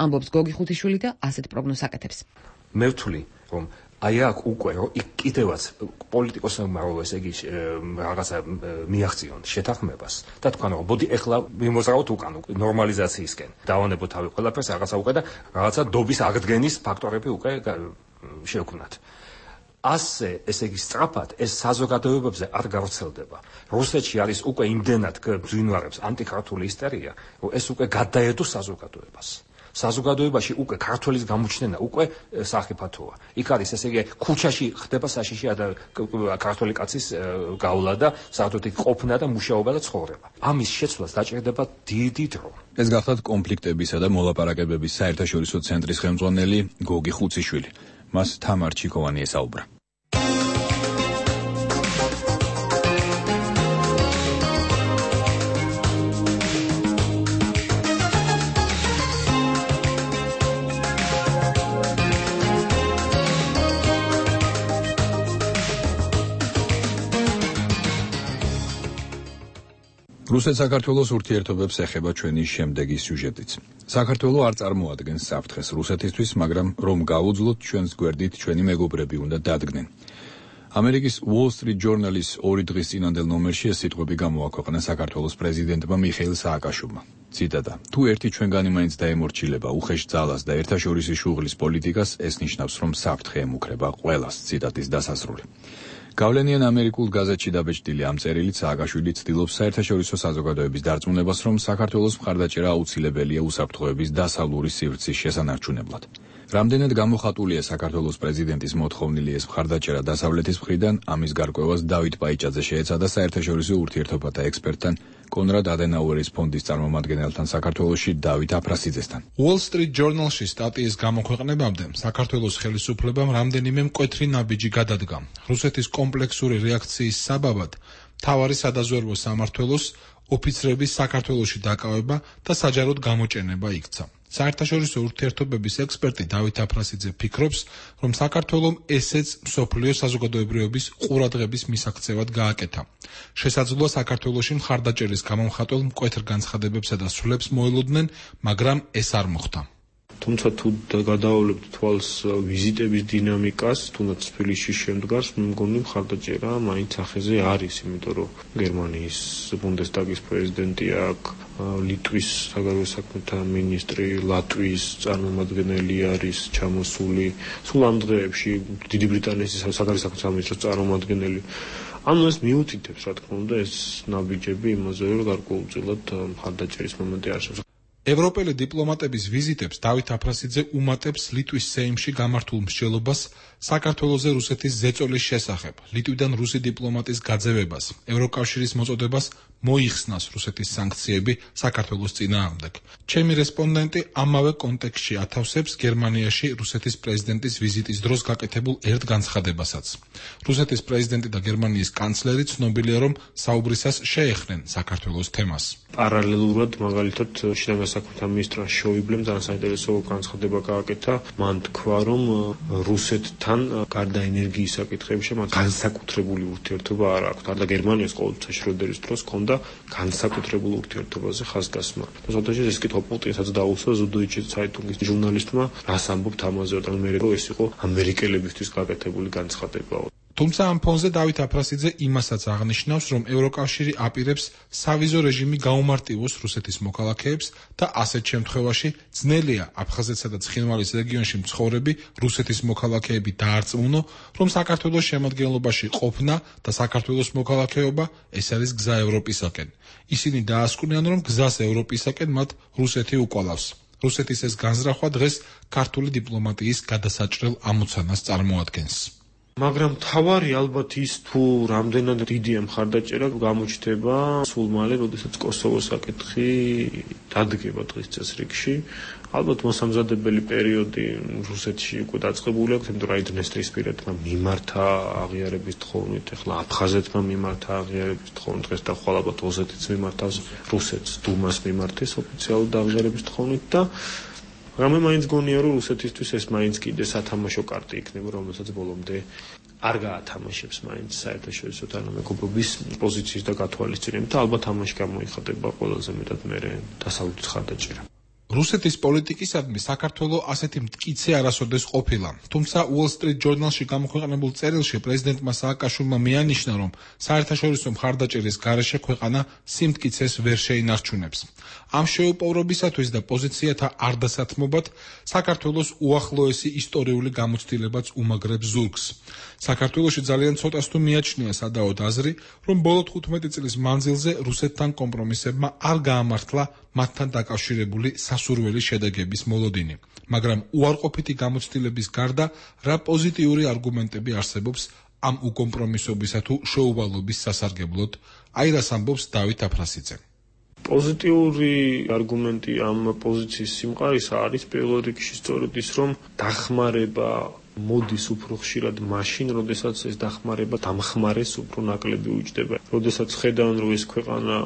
ამბობს გოგი ხუთიშვილი და ასეთ პროგნოზს აკეთებს. მე ვთვლი, რომ აი აქ უკვე რომ კიდევაც პოლიტიკოსებმა რომ ესე იგი რაღაცა მიაღწიონ შეთანხმებას და თქვენ რომ ბოდი ეხლა მიმოზრაოთ უკან ნორმალიზაციისკენ. დავანებოთ თავი ყველაფერს რაღაცა უკვე და რაღაცა დობის აღდგენის ფაქტორები უკვე შევქმნათ. ასე ესე იგი სწრაფად ეს საზოგადოებებზე არ გავრცელდება. რუსეთში არის უკვე იმდენად გვინვარებს ანტიქართული ისტერია, რომ ეს უკვე გადაედო საზოგადოებას. საზოგადოებაში უკვე ქართველის გამოჩნენა უკვე სახიფათოა. იქ არის ესე იგი ქუჩაში ხდება საშიში ქართველი კაცის გავლა და საერთოდ ყოფნა და მუშაობა და ცხოვრება. ამის შეცვლას დაჭირდება დიდი დრო. ეს გახლავთ კონფლიქტებისა და მოლაპარაკებების საერთაშორისო ცენტრის ხელმძღვანელი გოგი ხუციშვილი. მას თამარ ჩიკოვანი ესაუბრა. რუსეთ-საქართველოს ურთიერთობებს ეხება ჩვენი შემდეგი სიუჟეტიც. საქართველო არ წარმოადგენს საფრთხეს რუსეთისთვის, მაგრამ რომ გავუძლოთ ჩვენს გვერდით ჩვენი მეგობრები უნდა დადგნენ. ამერიკის Wall Street Journal-ის ორი დღის წინანდელ ნომერში ეს სიტყვები გამოაქვეყნა საქართველოს პრეზიდენტმა მიხეილ სააკაშვილმა. ციტატა: თუ ერთი ჩვენგანი მაინც დაემორჩილება უხეშ ძალას და ერთაშორისი შუღლის პოლიტიკას, ეს ნიშნავს, რომ საფრთხე ემუქრება ყველას. ციტატის დასასრული. გავლენიან ამერიკულ გაზეთში დაბეჭდილი ამ წერილით სააკაშვილი ცდილობს საერთაშორისო საზოგადოების დარწმუნებას, რომ საქართველოს მხარდაჭერა აუცილებელია უსაფრთხოების დასავლური სივრცის შესანარჩუნებლად. რამდენად გამოხატულია საქართველოს პრეზიდენტის მოთხოვნილი ეს მხარდაჭერა დასავლეთის მხრიდან, ამის გარკვევას დავით პაიჭაძე შეეცადა საერთაშორისო ურთიერთობათა ექსპერტთან კონრად ადენაუერის ფონდის წარმომადგენელთან საქართველოში დავით აფრასიძესთან. Wall Street Journal-ში სტატიის გამოქვეყნებამდე საქართველოს ხელისუფლებამ რამდენიმე მკვეთრი ნაბიჯი გადადგა. რუსეთის კომპლექსური რეაქციის საბაბად მთავარი სადაზვერვო სამმართველოს ოფიცრების საქართველოში დაკავება და საჯაროდ გამოჭენება იქცა. საერთაშორისო ურთიერთობების ექსპერტი დავით აფრასიძე ფიქრობს, რომ საქართველომ ესეც მსოფლიო საზოგადოებრიობის ყურადღების მისაქცევად გააკეთა. შესაძლოა საქართველოში მხარდაჭერის გამომხატველ მკვეთრ განცხადებებსა და სრულებს მოელოდნენ, მაგრამ ეს არ მოხდა. თუმცა თუ გადავავლებთ თვალს ვიზიტების დინამიკას, თუნდაც თბილისში შემდგარს, მე მგონი მხარდაჭერა მაინც ახეზე არის, იმიტომ რომ გერმანიის ბუნდესტაგის პრეზიდენტი აქ, ლიტვის საგარეო საქმეთა მინისტრი, ლატვიის წარმომადგენელი არის ჩამოსული, სულ ამ დღეებში დიდი ბრიტანეთის საგარეო საქმეთა სამინისტროს წარმომადგენელი. ანუ ეს მიუთითებს, რა თქმა უნდა, ეს ნაბიჯები იმაზე, რომ გარკვეულწილად მხარდაჭერის მომენტი არსებობს. ევროპელი დიპლომატების ვიზიტებს დავით აფრასიძე უმატებს ლიტვის სეიმში გამართულ მსჯელობას საქართველოზე რუსეთის ზეწოლის შესახებ, ლიტვიდან რუსი დიპლომატის გაძევებას, ევროკავშირის მოწოდებას მოიხსნას რუსეთის სანქციები საქართველოს წინააღმდეგ. ჩემი რესპონდენტი ამავე კონტექსტში ათავსებს გერმანიაში რუსეთის პრეზიდენტის ვიზიტის დროს გაკეთებულ ერთ განცხადებასაც. რუსეთის პრეზიდენტი და გერმანიის კანცლერი ცნობილია, რომ საუბრისას შეეხნენ საქართველოს თემას. პარალელურად მაგალითად შინაგან საქმეთა მინისტრმა შოიბლემ ძალიან საინტერესო განცხადება გააკეთა. მან თქვა, რომ რუსეთთან გარდა ენერგიის საკითხებში მათ განსაკუთრებული ურთიერთობა არ აქვს. და გერმანიას ყოველთვის შროდერის დროს ჰქონდა განსაკუთრებულ ურთიერთობაზე ხაზგასმა. შესაძლოა ეს კითხვა პუტინსაც დაუსვა ზუდოიჩე ცაიტუნგის ჟურნალისტმა, რას ამბობთ ამაზე, და მე რომ ეს იყო ამერიკელებისთვის გაკეთებული განცხადებაა. თუმცა ამ ფონზე დავით აფრასიძე იმასაც აღნიშნავს, რომ ევროკავშირი აპირებს სავიზო რეჟიმი გაუმარტივოს რუსეთის მოქალაქეებს და ასეთ შემთხვევაში ძნელია აფხაზეთსა და ცხინვალის რეგიონში მცხოვრები რუსეთის მოქალაქეები დაარწმუნო, რომ საქართველოს შემადგენლობაში ყოფნა და საქართველოს მოქალაქეობა ეს არის გზა ევროპისაკენ. ისინი დაასკვნიან, რომ გზას ევროპისაკენ მათ რუსეთი უკვალავს. რუსეთის ეს განზრახვა დღეს ქართული დიპლომატიის გადასაჭრელ ამოცანას წარმოადგენს. მაგრამ თავარი ალბათ ის თუ რამდენად დიდია მხარდაჭერა გამოჩნდება სულ მალე, როდესაც კოსოვოს საკითხი დადგება დღის წესრიგში. ალბათ მოსამზადებელი პერიოდი რუსეთში უკვე დაწყებული აქვს, იმიტომ რომ აი დნესტრისპირეთმა მიმართა აღიარების თხოვნით, ახლა აფხაზეთმა მიმართა აღიარების თხოვნით, დღეს და ხვალ ალბათ ოსეთიც მიმართავს რუსეთს, დუმას მიმართეს ოფიციალურად აღიარების თხოვნით და მაგრამ მე მაინც გონია, რომ რუსეთისთვის ეს მაინც კიდე სათამაშო კარტი იქნება, რომელსაც ბოლომდე არ გაათამაშებს მაინც საერთაშორისო თანამეგობრობის პოზიციის და გათვალისწინებით და ალბათ ამაში გამოიხატება ყველაზე მეტად მერე დასავლეთის ხარდაჭერა. რუსეთის პოლიტიკისადმი საქართველოს ასეთი მტკიცე არასოდეს ყოფილა. თუმცა Wall Street Journal-ში გამოქვეყნებულ წერილში პრეზიდენტმა სააკაშვილმა მიანიშნა, რომ საერთაშორისო მხარდაჭერის გარეშე ქვეყანა სიმტკიცეს ვერ შეინარჩუნებს. ამ შეუპოვრობისათვის და პოზიციათა არდასათმობად საქართველოს უახლოესი ისტორიული გამოცდილებაც უმაგრებს ზურგს. საქართველოში ძალიან ცოტას თუ მიაჩნია სადაოდ აზრი, რომ ბოლო თხუთმეტი წლის მანძილზე რუსეთთან კომპრომისებმა არ გაამართლა მათთან დაკავშირებული სასურველი შედეგების მოლოდინი. მაგრამ უარყოფითი გამოცდილების გარდა რა პოზიტიური არგუმენტები არსებობს ამ უკომპრომისობისა თუ შეუვალობის სასარგებლოდ, აი რას ამბობს დავით აფრასიძე. პოზიტიური არგუმენტი ამ პოზიციის სიმყარისა არის პირველ რიგში სწორედ ის, რომ დახმარება მოდის უფრო ხშირად მაშინ, როდესაც ეს დახმარება დამხმარეს უფრო ნაკლები უჯდება. როდესაც ხედავენ, რომ ეს ქვეყანა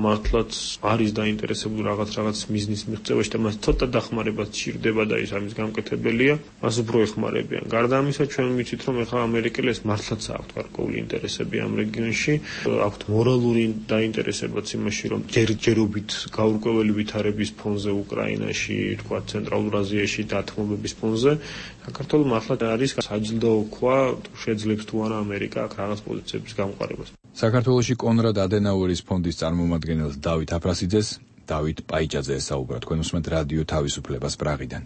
მართლაც არის დაინტერესებული რაღაც რაღაც მიზნის მიღწევაში და მას ცოტა დახმარება სჭირდება და ის ამის გამკეთებელია, მას უფრო ეხმარებიან. გარდა ამისა, ჩვენ ვიცით, რომ ახლა ამერიკელებს მართლაც აქვთ გარკვეული ინტერესები ამ რეგიონში, აქვთ მორალური დაინტერესებაც იმაში, რომ ჯერჯერობით გაურკვეველი ვითარების ფონზე უკრაინაში, თქვა ცენტრალურ აზიაში დათმობების ფონზე, საქართველოს მართლა არის საჯილდო ქვა, შეძლებს თუ არა ამერიკა აქ რაღაც პოზიციების გამყარებას. საქართველოში კონრად ადენაუერის ფონდის წარმომადგენელს დავით აფრასიძეს დავით პაიჭაძე ესაუბრა. თქვენ უსმენთ რადიო თავისუფლებას პრაღიდან.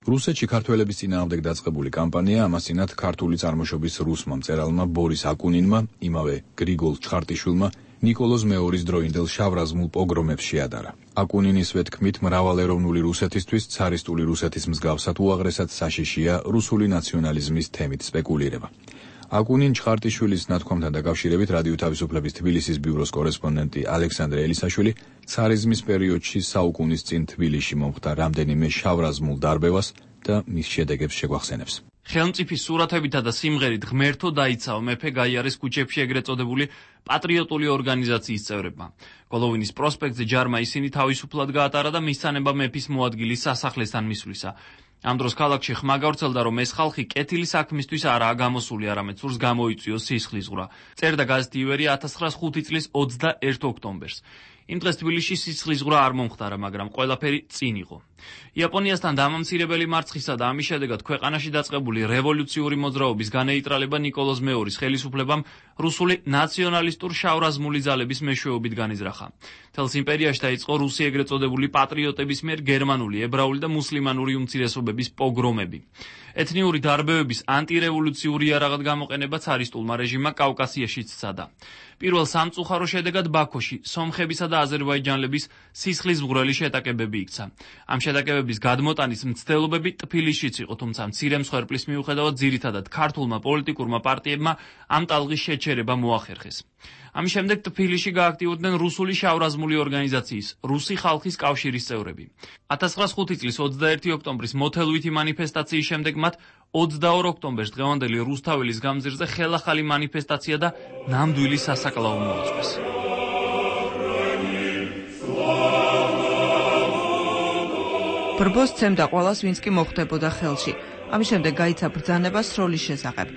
რუსეთში ქართველების წინააღმდეგ დაწყებული კამპანია ამასინათ ქართული წარმოშობის რუსმა მწერალმა ბორის აკუნინმა, იმავე გრიგოლ ჩხარტიშვილმა ნიკოლოზ მეორის დროინდელ შავრაზმულ პოგრომებს შეადარა. აკუნინისვე თქმით, მრავალეროვნული რუსეთისთვის ცარისტული რუსეთის მსგავსად უაღრესად საშიშია რუსული ნაციონალიზმის თემით სპეკულირება. აკუნინ ჩხარტიშვილის ნათქვამთან დაკავშირებით რადიო თავისუფლების თბილისის ბიუროს კორესპონდენტი ალექსანდრე ელისაშვილი ცარიზმის პერიოდში საუკუნის წინ თბილისში მომხდა რამდენიმე შავრაზმულ დარბევას და მის შედეგებს შეგვახსენებს. ხელმწიფის სურათებითა და სიმღერით ღმერთო დაიცაო მეფე გაიარეს ქუჩებში ეგრეთ წოდებული პატრიოტული ორგანიზაციის წევრებმა. გოლოვინის პროსპექტზე ჯარმა ისინი თავისუფლად გაატარა და მისცანება მეფის მოადგილის სასახლესთან მისვლისა. ამ დროს ქალაქში ხმა გავრცელდა, რომ ეს ხალხი კეთილი საქმისთვის არაა გამოსული, არამედ სურს გამოიწვიოს სისხლისღვრა. წერდა გაზეთი ივერი ათას ცხრაასი ხუთი წლის ოცდაერთ ოქტომბერს. იმ დღეს თბილისში სისხლისღვრა არ მომხდარა, მაგრამ ყველაფერი წინ იყო. იაპონიასთან დამამცირებელი მარცხისა და ამის შედეგად ქვეყანაში დაწყებული რევოლუციური მოძრაობის განეიტრალება ნიკოლოზ მეორის ხელისუფლებამ რუსული ნაციონალისტურ შავრაზმული ძალების მეშვეობით განიზრახა. მთელს იმპერიაში დაიწყო რუსი ეგრეთ წოდებული პატრიოტების მიერ გერმანული, ებრაული და მუსლიმანური უმცირესობების პოგრომები. ეთნიური დარბევების ანტირევოლუციური იარაღად გამოყენება ცარისტულმა რეჟიმმა კავკასიაშიც სცადა. პირველ სამწუხარო შედეგად ბაქოში სომხებისა და აზერბაიჯანელების სისხლისმღვრელი შეტაკებები იქცა. ამ შეტაკებების გადმოტანის მცდელობები ტფილისშიც იყო, თუმცა მცირე მსხვერპლის მიუხედავად ძირითადად ქართულმა პოლიტიკურმა პარტიებმა ამ ტალღის შეჩერება მოახერხეს. ამის შემდეგ ტფილისში გააქტიურდნენ რუსული შავ-რაზმული ორგანიზაციის რუსი ხალხის კავშირის წევრები. ათას ცხრაასი წლის ოცდაერთი ოქტომბრის მოთელვითი მანიფესტაციის შემდეგ მათ ოცდაორ ოქტომბერს დღევანდელი რუსთაველის გამზირზე ხელახალი მანიფესტაცია და ნამდვილი სასაკლაო მოაწყვეს. ბრბოს ცემდა ყველას, ვინც კი მოხვდებოდა ხელში. ამის შემდეგ გაიცა ბრძანება სროლის შესახებ.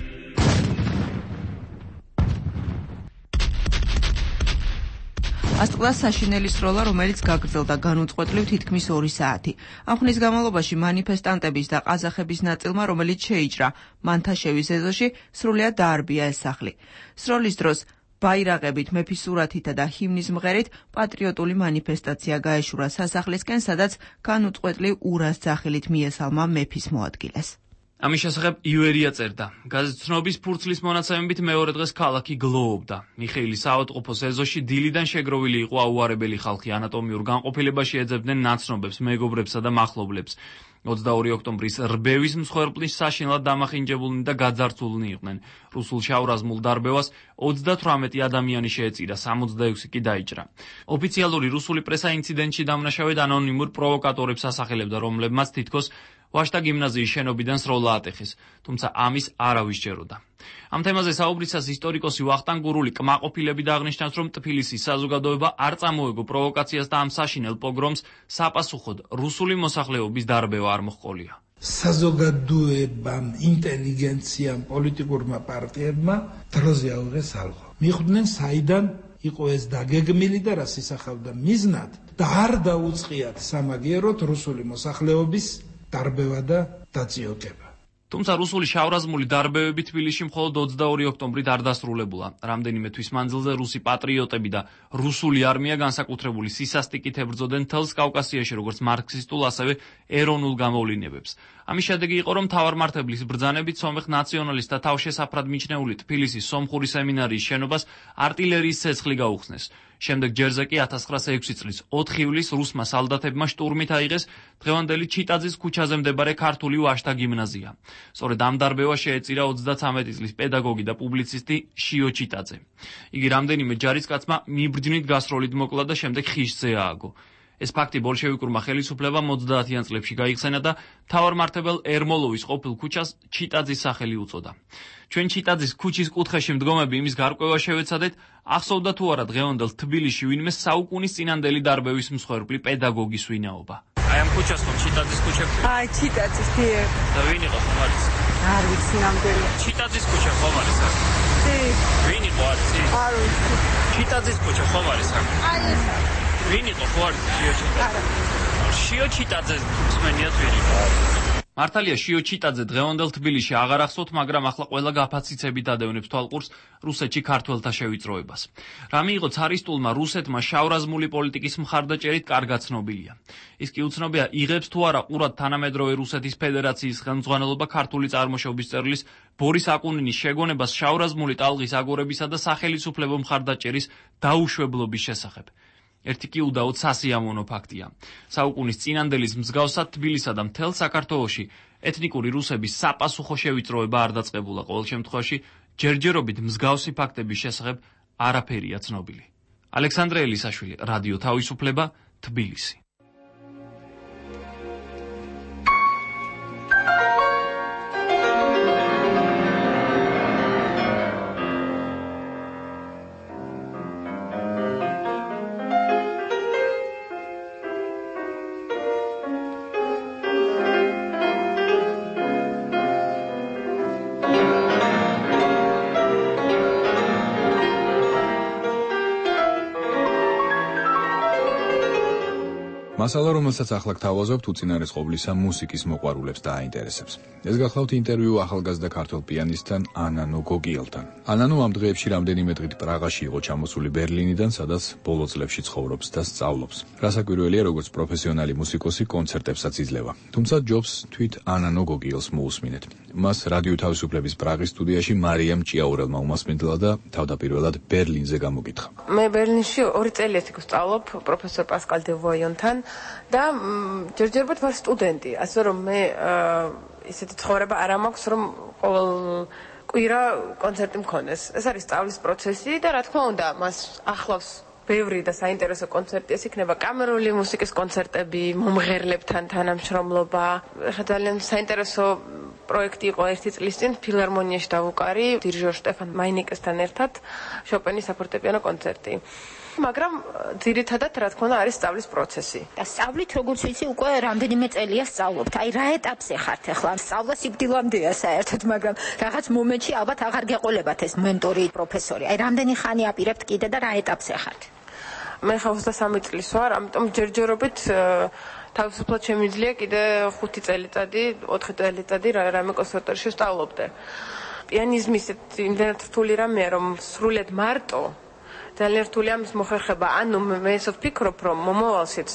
ასწყდა საშინელი სროლა, რომელიც გაგრძელდა განუწყვეტლივ თითქმის ორი საათი. ამ ხნის განმავლობაში მანიფესტანტების და ყაზახების ნაწილმა, რომელიც შეიჭრა მანთაშევის ეზოში, სრულიად დაარბია ეს სახლი. სროლის დროს ბაირაღებით, მეფის სურათითა და ჰიმნის მღერით პატრიოტული მანიფესტაცია გაეშურა სასახლისკენ, სადაც განუწყვეტლივ ურას ძახილით მიესალმა მეფის მოადგილეს. ამის შესახებ ივერია წერდა. გაზეთნობის ფურცლის მონაცემებით მეორე დღეს ქალაქი გლოობდა. მიხეილის საავადმყოფოს ეზოში დილიდან შეგროვილი იყო აუარებელი ხალხი, ანატომიურ განყოფილებაში ეძებდნენ ნაცნობებს, მეგობრებსა და მახლობლებს. ოცდაორი ოქტომბრის რბევის მსხვერპლის საშინლად დამახინჯებულნი და გაძარცულნი იყვნენ. რუსულ შავ-რაზმულ დარბევას ოცდათვრამეტი ადამიანი შეეწირა, სამოცდაექვსი კი დაიჭრა. ოფიციალური რუსული პრესა ინციდენტში დამნაშავედ ანონიმურ პროვოკატორებს ასახელებდა, რომლებმაც თითქოს ვაშტა გიმნაზიის შენობიდან სროლა ატეხეს, თუმცა ამის არავის ჯეროდა. ამ თემაზე საუბრისას ისტორიკოსი ვახტანგ გურული კმაყოფილები დააღნიშნავს, რომ ტფილისის საზოგადოება არ წამოეგო პროვოკაციას და ამ საშინელ პოგრომს საპასუხოდ რუსული მოსახლეობის დარბევა არ მოჰყოლია. საზოგადოებამ, ინტელიგენციამ, პოლიტიკურმა პარტიებმა დროზე აუღეს ალღო. მიხვდნენ საიდან იყო ეს დაგეგმილი და რას ისახავდა მიზნად და არ დაუწყიათ სამაგიეროდ რუსული მოსახლეობის დარბევა და დაწიოკება. თუმცა რუსული შავ-რაზმული დარბევები თბილისში მხოლოდ ოცდაორი ოქტომბრით არ დასრულებულა. რამდენიმე თვის მანძილზე რუსი პატრიოტები და რუსული არმია განსაკუთრებული სისასტიკით ებრძოდნენ მთელს კავკასიაში, როგორც მარქსისტულ, ასევე ეროვნულ გამოვლინებებს. ამის შედეგი იყო, რომ მთავარმართებლის ბრძანებით სომეხ ნაციონალისტთა თავშესაფრად მიჩნეული თბილისის სომხური სემინარიის შენობას არტილერიის ცეცხლი გაუხსნეს. შემდეგ ჯერზე კი ათას ცხრაასი ექვსი წლის ოთხი ივლისს რუსმა სალდათებმა შტურმით აიღეს დღევანდელი ჩიტაძის ქუჩაზე მდებარე ქართული ვაშტა გიმნაზია. სწორედ ამ დარბევას შეეწირა ოცდათვრამეტი წლის პედაგოგი და პუბლიცისტი შიო ჩიტაძე. იგი რამდენიმე ჯარისკაცმა მიბრძნით გასროლით მოკლა და შემდეგ ხიშზე ააგო. ეს ფაქტი ბოლშევიკურმა ხელისუფლებამ ოცდაათიან წლებში გაიხსენა და მთავარმართებელ ერმოლოვის ყოფილ ქუჩას ჩიტაძის სახელი უწოდა. ჩვენ ჩიტაძის ქუჩის კუთხეში მდგომები იმის გარკვევა შევეცადეთ, ახსოვდა თუ არა დღევანდელ თბილისში ვინმე საუკუნის წინანდელი დარბევის მსხვერპლი პედაგოგის ვინაობა. აი ამ ქუჩას ხომ ჩიტაძის ქუჩა? აი ჩიტაძის დიე. და ვინ იყო ხომ არის? არ ვიცი ნამდვილი. ჩიტაძის ქუჩა ხომ არის აქ? დე. ვინ იყო არ ვიცი? არ ვიცი. ჩიტაძის ქუჩა ხომ არის აქ? აი ეს. ვინ იყო ხო არის შიო ჩიტაძე? შიო ჩიტაძე მსმენიათ ვინ იყო? მართალია შიო ჩიტაძე დღევანდელ თბილისში აღარ ახსოვთ, მაგრამ ახლა ყველა გაფაციცებით ადევნებს თვალყურს რუსეთში ქართველთა შევიწროებას. რა მიიღო ცარისტულმა რუსეთმა შავ-რაზმული პოლიტიკის მხარდაჭერით კარგად ცნობილია. ის კი უცნობია, იღებს თუ არა ყურად თანამედროვე რუსეთის ფედერაციის ხელმძღვანელობა ქართული წარმოშობის წერლის ბორის აკუნინის შეგონებას შავ-რაზმული ტალღის აგორებისა და სახელისუფლებო მხარდაჭერის დაუშვებლობის შესახებ. ერთი კი უდაოდ სასიამოვნო ფაქტია. საუკუნის წინანდელის მსგავსად თბილისსა და მთელ საქართველოში ეთნიკური რუსების საპასუხო შევიწროება არ დაწყებულა. ყოველ შემთხვევაში ჯერჯერობით მსგავსი ფაქტების შესახებ არაფერია ცნობილი. ალექსანდრე ელისაშვილი, რადიო თავისუფლება, თბილისი. მასალა, რომელსაც ახლა გთავაზობთ, უწინარეს ყოვლისა მუსიკის მოყვარულებს დააინტერესებს. ეს გახლავთ ინტერვიუ ახალგაზრდა ქართველ პიანისტთან ანანო გოგიელთან. ანანო ამ დღეებში რამდენიმე დღით პრაღაში იყო ჩამოსული ბერლინიდან, სადაც ბოლო წლებში ცხოვრობს და სწავლობს. რასაკვირველია, როგორც პროფესიონალი მუსიკოსი კონცერტებსაც იძლევა. თუმცა ჯობს თვით ანანო გოგიელს მოусმინეთ. მას რადიო თავისუფლების პრაღის სტუდიაში მარიამ ჭიაურელმა უმასპინძლა და თავდაპირველად ბერლინზე გამოგითხა. მე ბერლინში ორი წელი ერთი ვსწავლობ პროფესორ პასკალ დე ვოიონთან. და ჯერჯერობით ვარ სტუდენტი, ასე რომ მე ისეთი ცხოვრება არ მაქვს, რომ ყოველ კვირა კონცერტი მქონდეს. ეს არის სწავლის პროცესი და რა თქმა უნდა, მას ახლავს ბევრი და საინტერესო კონცერტი, ეს იქნება კამერული მუსიკის კონცერტები, მომღერლებთან თანამშრომლობა. ეხლა ძალიან საინტერესო პროექტი იყო ერთი წლის წინ ფილარმონიაში დავუკარი დირიჟორ შტეფან მაინიკესთან ერთად შოპენის საფორტეპიანო კონცერტი. მაგრამ ძირითადად რა თქმა უნდა არის სწავლის პროცესი. და სწავლით როგორც ვიცი უკვე რამდენიმე წელია სწავლობთ. აი რა ეტაპზე ხართ ახლა? სწავლა სიკვდილამდეა საერთოდ, მაგრამ რაღაც მომენტში ალბათ აღარ გეყოლებათ ეს მენტორი, პროფესორი. აი რამდენი ხანი აპირებთ კიდე და რა ეტაპზე ხართ? მე ხა ოცდასამი წლის ვარ, ამიტომ ჯერჯერობით თავისუფლად შემიძლია კიდე ხუთი წელიწადი, ოთხი წელიწადი რამე კონსერვატორიაში ვსწავლობდე. პიანიზმი ისეთი იმდენად რთული რამეა, რომ სრულიად მარტო ძალიან რთულია მის მოხერხება. ანუ მე ისე ვფიქრობ, რომ მომავალშიც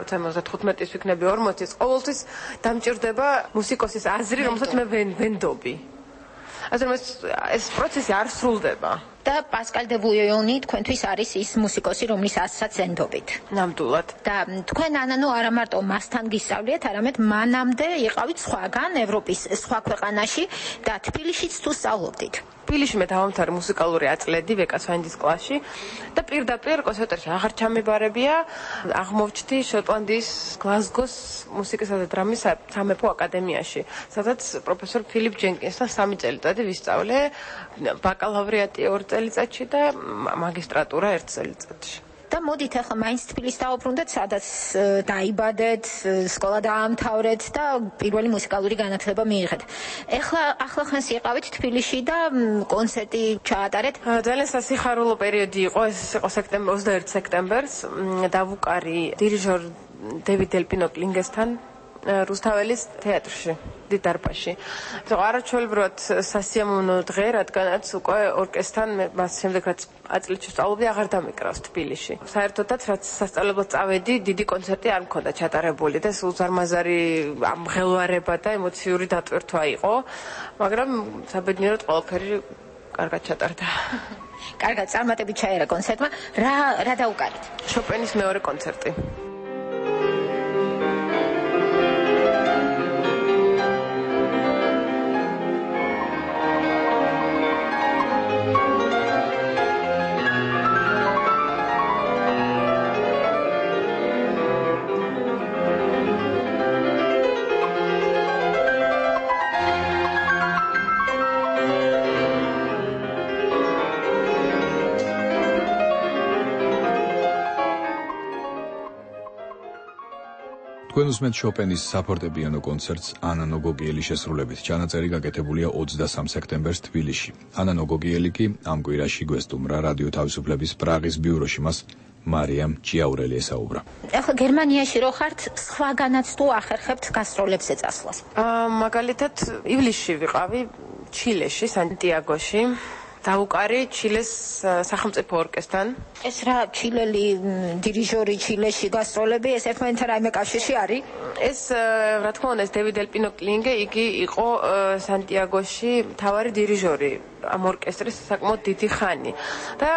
როცა ოცდათხუთმეტის ვიქნები ორმოცის, ყოველთვის დამჭირდება მუსიკოსის აზრი, რომელსაც მე ვენდობი. ასე რომ ეს პროცესი არ სრულდება. და პასკალ დე ბუიონი თქვენთვის არის ის მუსიკოსი, რომლის ასსაც ენდობით. ნამდვილად. და თქვენ ანანო არა მარტო მასთან გისწავლიეთ, არამედ მანამდე იყავით სხვაგან ევროპის სხვა ქვეყანაში და თბილისშიც თუ სწავლობდით. თბილისში მე დავამთავრე მუსიკალური აწლედი ვეკასვანდის კლასში და პირდაპირ კონსერვატორიაში აღარ ჩამებარებია, აღმოვჩდი შოტლანდიის გლაზგოს მუსიკისა და დრამის სამეფო აკადემიაში, სადაც პროფესორ ფილიპ ჯენკინსთან სამი წელიწადი ვისწავლე, ბაკალავრიატი ორ წელიწადში და მაგისტრატურა ერთ წელიწადში. და მოდით ახლა მაინც თბილისს დავუბრუნდეთ, სადაც დაიბადეთ, სკოლა დაამთავრეთ და პირველი მუსიკალური განათლება მიიღეთ. ეხლა ახლახანს იყავით თბილისში და კონცერტი ჩაატარეთ. ძალიან სასიხარულო პერიოდი იყო, ეს იყო სექტემბერ ოცდაერთი სექტემბერს, დავუკარი დირიჟორ დევიდ დელპინო კლინგესთან რუსთაველის თეატრში, დიდარბაზში. ეს არაჩვეულებრივად სასიამოვნო დღე, რადგანაც უკვე ორკესტრთან მას შემდეგ რაც აწლით ვსწავლობდი, აღარ დამეკრავს თბილისში. საერთოდაც რაც სასწავლებლად წავედი, დიდი კონცერტი არ მქონდა ჩატარებული და სულ ზარმაზარი ამღელვარება და ემოციური დატვირთვა იყო, მაგრამ საბედნიეროდ ყველაფერი კარგად ჩატარდა. კარგად, წარმატებით ჩაერა კონცერტმა. რა რა დაუკარით? შოპენის მეორე კონცერტი. თქვენ უსმენთ შოპენის საფორტეპიანო კონცერტს ანა ნოგოგიელის შესრულებით. ჩანაწერი გაკეთებულია ოცდასამ სექტემბერს თბილისში. ანა ნოგოგიელი კი ამ კვირაში გვესტუმრა რადიო თავისუფლების პრაღის ბიუროში, მას მარიამ ჭიაურელი ესაუბრა. ახლა გერმანიაში რო ხართ, სხვაგანაც თუ ახერხებთ გასტროლებზე წასვლას? აა მაგალითად ივლისში ვიყავი ჩილეში, სანტიაგოში. დავუკარი ჩილეს სახელმწიფო ორკესტრთან. ეს რა ჩილელი დირიჟორი ჩილეში გასტროლები, ეს ერთმანეთთან რაიმე კავშირში არის? ეს რა თქმა უნდა, ეს დევიდ დელპინო კლინგე, იგი იყო სანტიაგოში მთავარი დირიჟორი ამ ორკესტრის საკმაოდ დიდი ხანი. და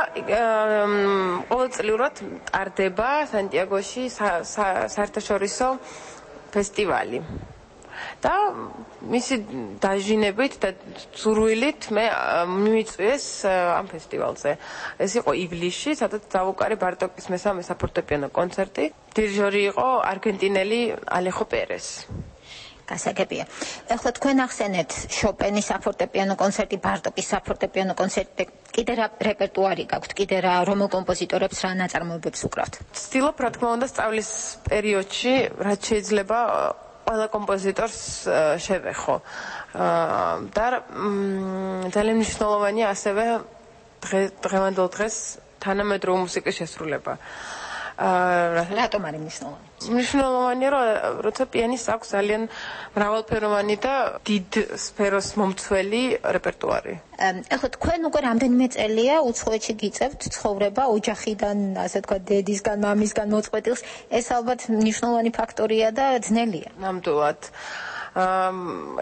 ყოველწლიურად ტარდება სანტიაგოში საერთაშორისო ფესტივალი. და მისი დაჟინებით და ზურვილით მე მივიწვიეს ამ ფესტივალზე. ეს იყო ივლისში, სადაც დავუკარი ბარტოკის მესამე საფორტეპიანო კონცერტი. დირიჟორი იყო არგენტინელი ალეხო პერეს. გასაგებია. ახლა თქვენ ახსენეთ შოპენის საფორტეპიანო კონცერტი, ბარტოკის საფორტეპიანო კონცერტი, კიდე რა რეპერტუარი გაქვთ, კიდე რა რომელ კომპოზიტორებს რა ნაწარმოებებს უკრავთ? ვცდილობ რა თქმა უნდა სწავლის პერიოდში, რაც შეიძლება ყველა კომპოზიტორს შევეხო. და ძალიან მნიშვნელოვანია ასევე დღევანდელ დღეს თანამედროვე მუსიკის შესრულება. რატომ არის მნიშვნელოვანი? მნიშვნელოვანია, რომ როცა პიანისტს აქვს ძალიან მრავალფეროვანი და დიდ სფეროს მომცველი რეპერტუარი. ახლა თქვენ უკვე რამდენიმე წელია უცხოეთში გიწევთ ცხოვრება ოჯახიდან, ასე თქვა, დედისგან, მამისგან მოწყვეტილს. ეს ალბათ მნიშვნელოვანი ფაქტორია და ძნელია. ნამდვილად.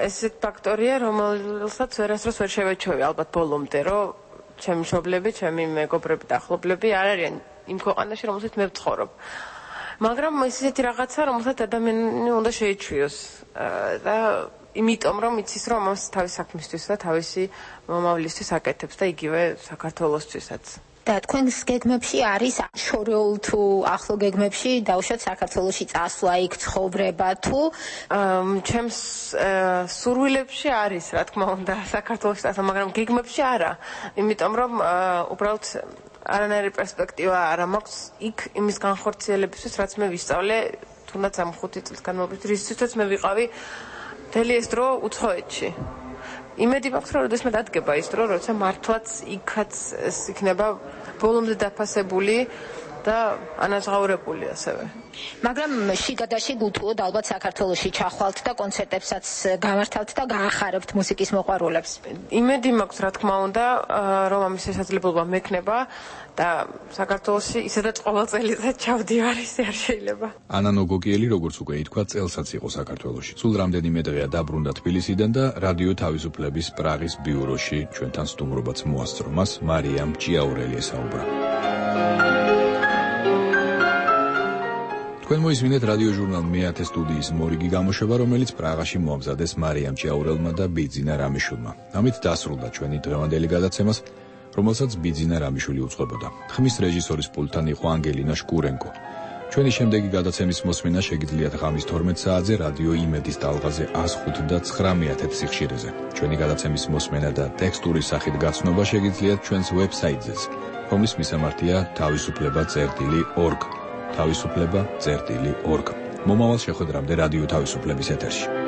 ესეთ ფაქტორია, რომელსაც ვერასდროს ვერ შევეჩვევი ალბათ ბოლომდე, რომ ჩემი მშობლები, ჩემი მეგობრები და ახლობლები არ არიან იმ ქვეყანაში, რომელშიც მე ვცხოვრობ. მაგრამ ეს ისეთი რაღაცა, რომელსაც ადამიანი უნდა შეიჩვიოს და იმიტომ რომ იცის რომ მას თავის საქმისთვის და თავისი მომავლისთვის აკეთებს და იგივე საქართველოსთვისაც. და თქვენს გეგმებში არის შორეულ თუ ახლო გეგმებში დაუშვათ საქართველოში წასვლა, იქ ცხოვრება თუ ჩემს სურვილებში არის, რა თქმა უნდა, საქართველოში წასვლა, მაგრამ გეგმებში არა. იმიტომ რომ უბრალოდ არანაირი პერსპექტივა არ მაქვს იქ იმის განხორციელებისთვის, რაც მე ვისწავლე თუნდაც ამ ხუთი წლის განმავლობაში, რისთვისაც მე ვიყავი მთელი ეს დრო უცხოეთში. იმედი მაქვს, რომ როდესაც მე დადგება ის დრო, როცა მართლაც იქაც ეს იქნება ბოლომდე დაფასებული და ანაზღაურებული ასევე. მაგრამ შიგადაშიგ უთუოდ ალბათ საქართველოში ჩახვალთ და კონცერტებსაც გამართავთ და გაახარებთ მუსიკის მოყვარულებს. იმედი მაქვს, რა თქმა უნდა, რომ ამის შესაძლებლობა მექნება და საქართველოში ისედაც ყოველ წელიწად ჩავდივარ, ისე არ შეიძლება. ანა ნოგოკიელი, როგორც უკვე ითქვა, წელსაც იყო საქართველოში. სულ რამდენიმე დღეა დაბრუნდა თბილისიდან და რადიო თავისუფლების პრაღის ბიუროში ჩვენთან სტუმრობაც მოასწრო. მას მარიამ ჭიაურელი ესაუბრა. თქვენ მოისმინეთ რადიო ჟურნალ მეათე სტუდიის მორიგი გამოშვება, რომელიც პრაღაში მოამზადეს მარიამ ჭიაურელმა და ბიძინა რამიშვილმა. ამით დასრულდა ჩვენი დღევანდელი გადაცემას, რომელსაც ბიძინა რამიშვილი უწყებოდა. ხმის რეჟისორის პულტთან იყო ანგელინა შკურენკო. ჩვენი შემდეგი გადაცემის მოსმენა შეგიძლიათ ღამის თორმეტ საათზე რადიო იმედის ტალღაზე ას ხუთი და ცხრამეტ სიხშირეზე. ჩვენი გადაცემის მოსმენა და ტექსტური სახით გაცნობა შეგიძლიათ ჩვენს ვებსაიტზეც, რომლის მისამართია თავისუფლება წერტილი ორგ. თავისუფლება წერტილი ორგ. მომავალ შეხვედრამდე რადიო თავისუფლების ეთერში.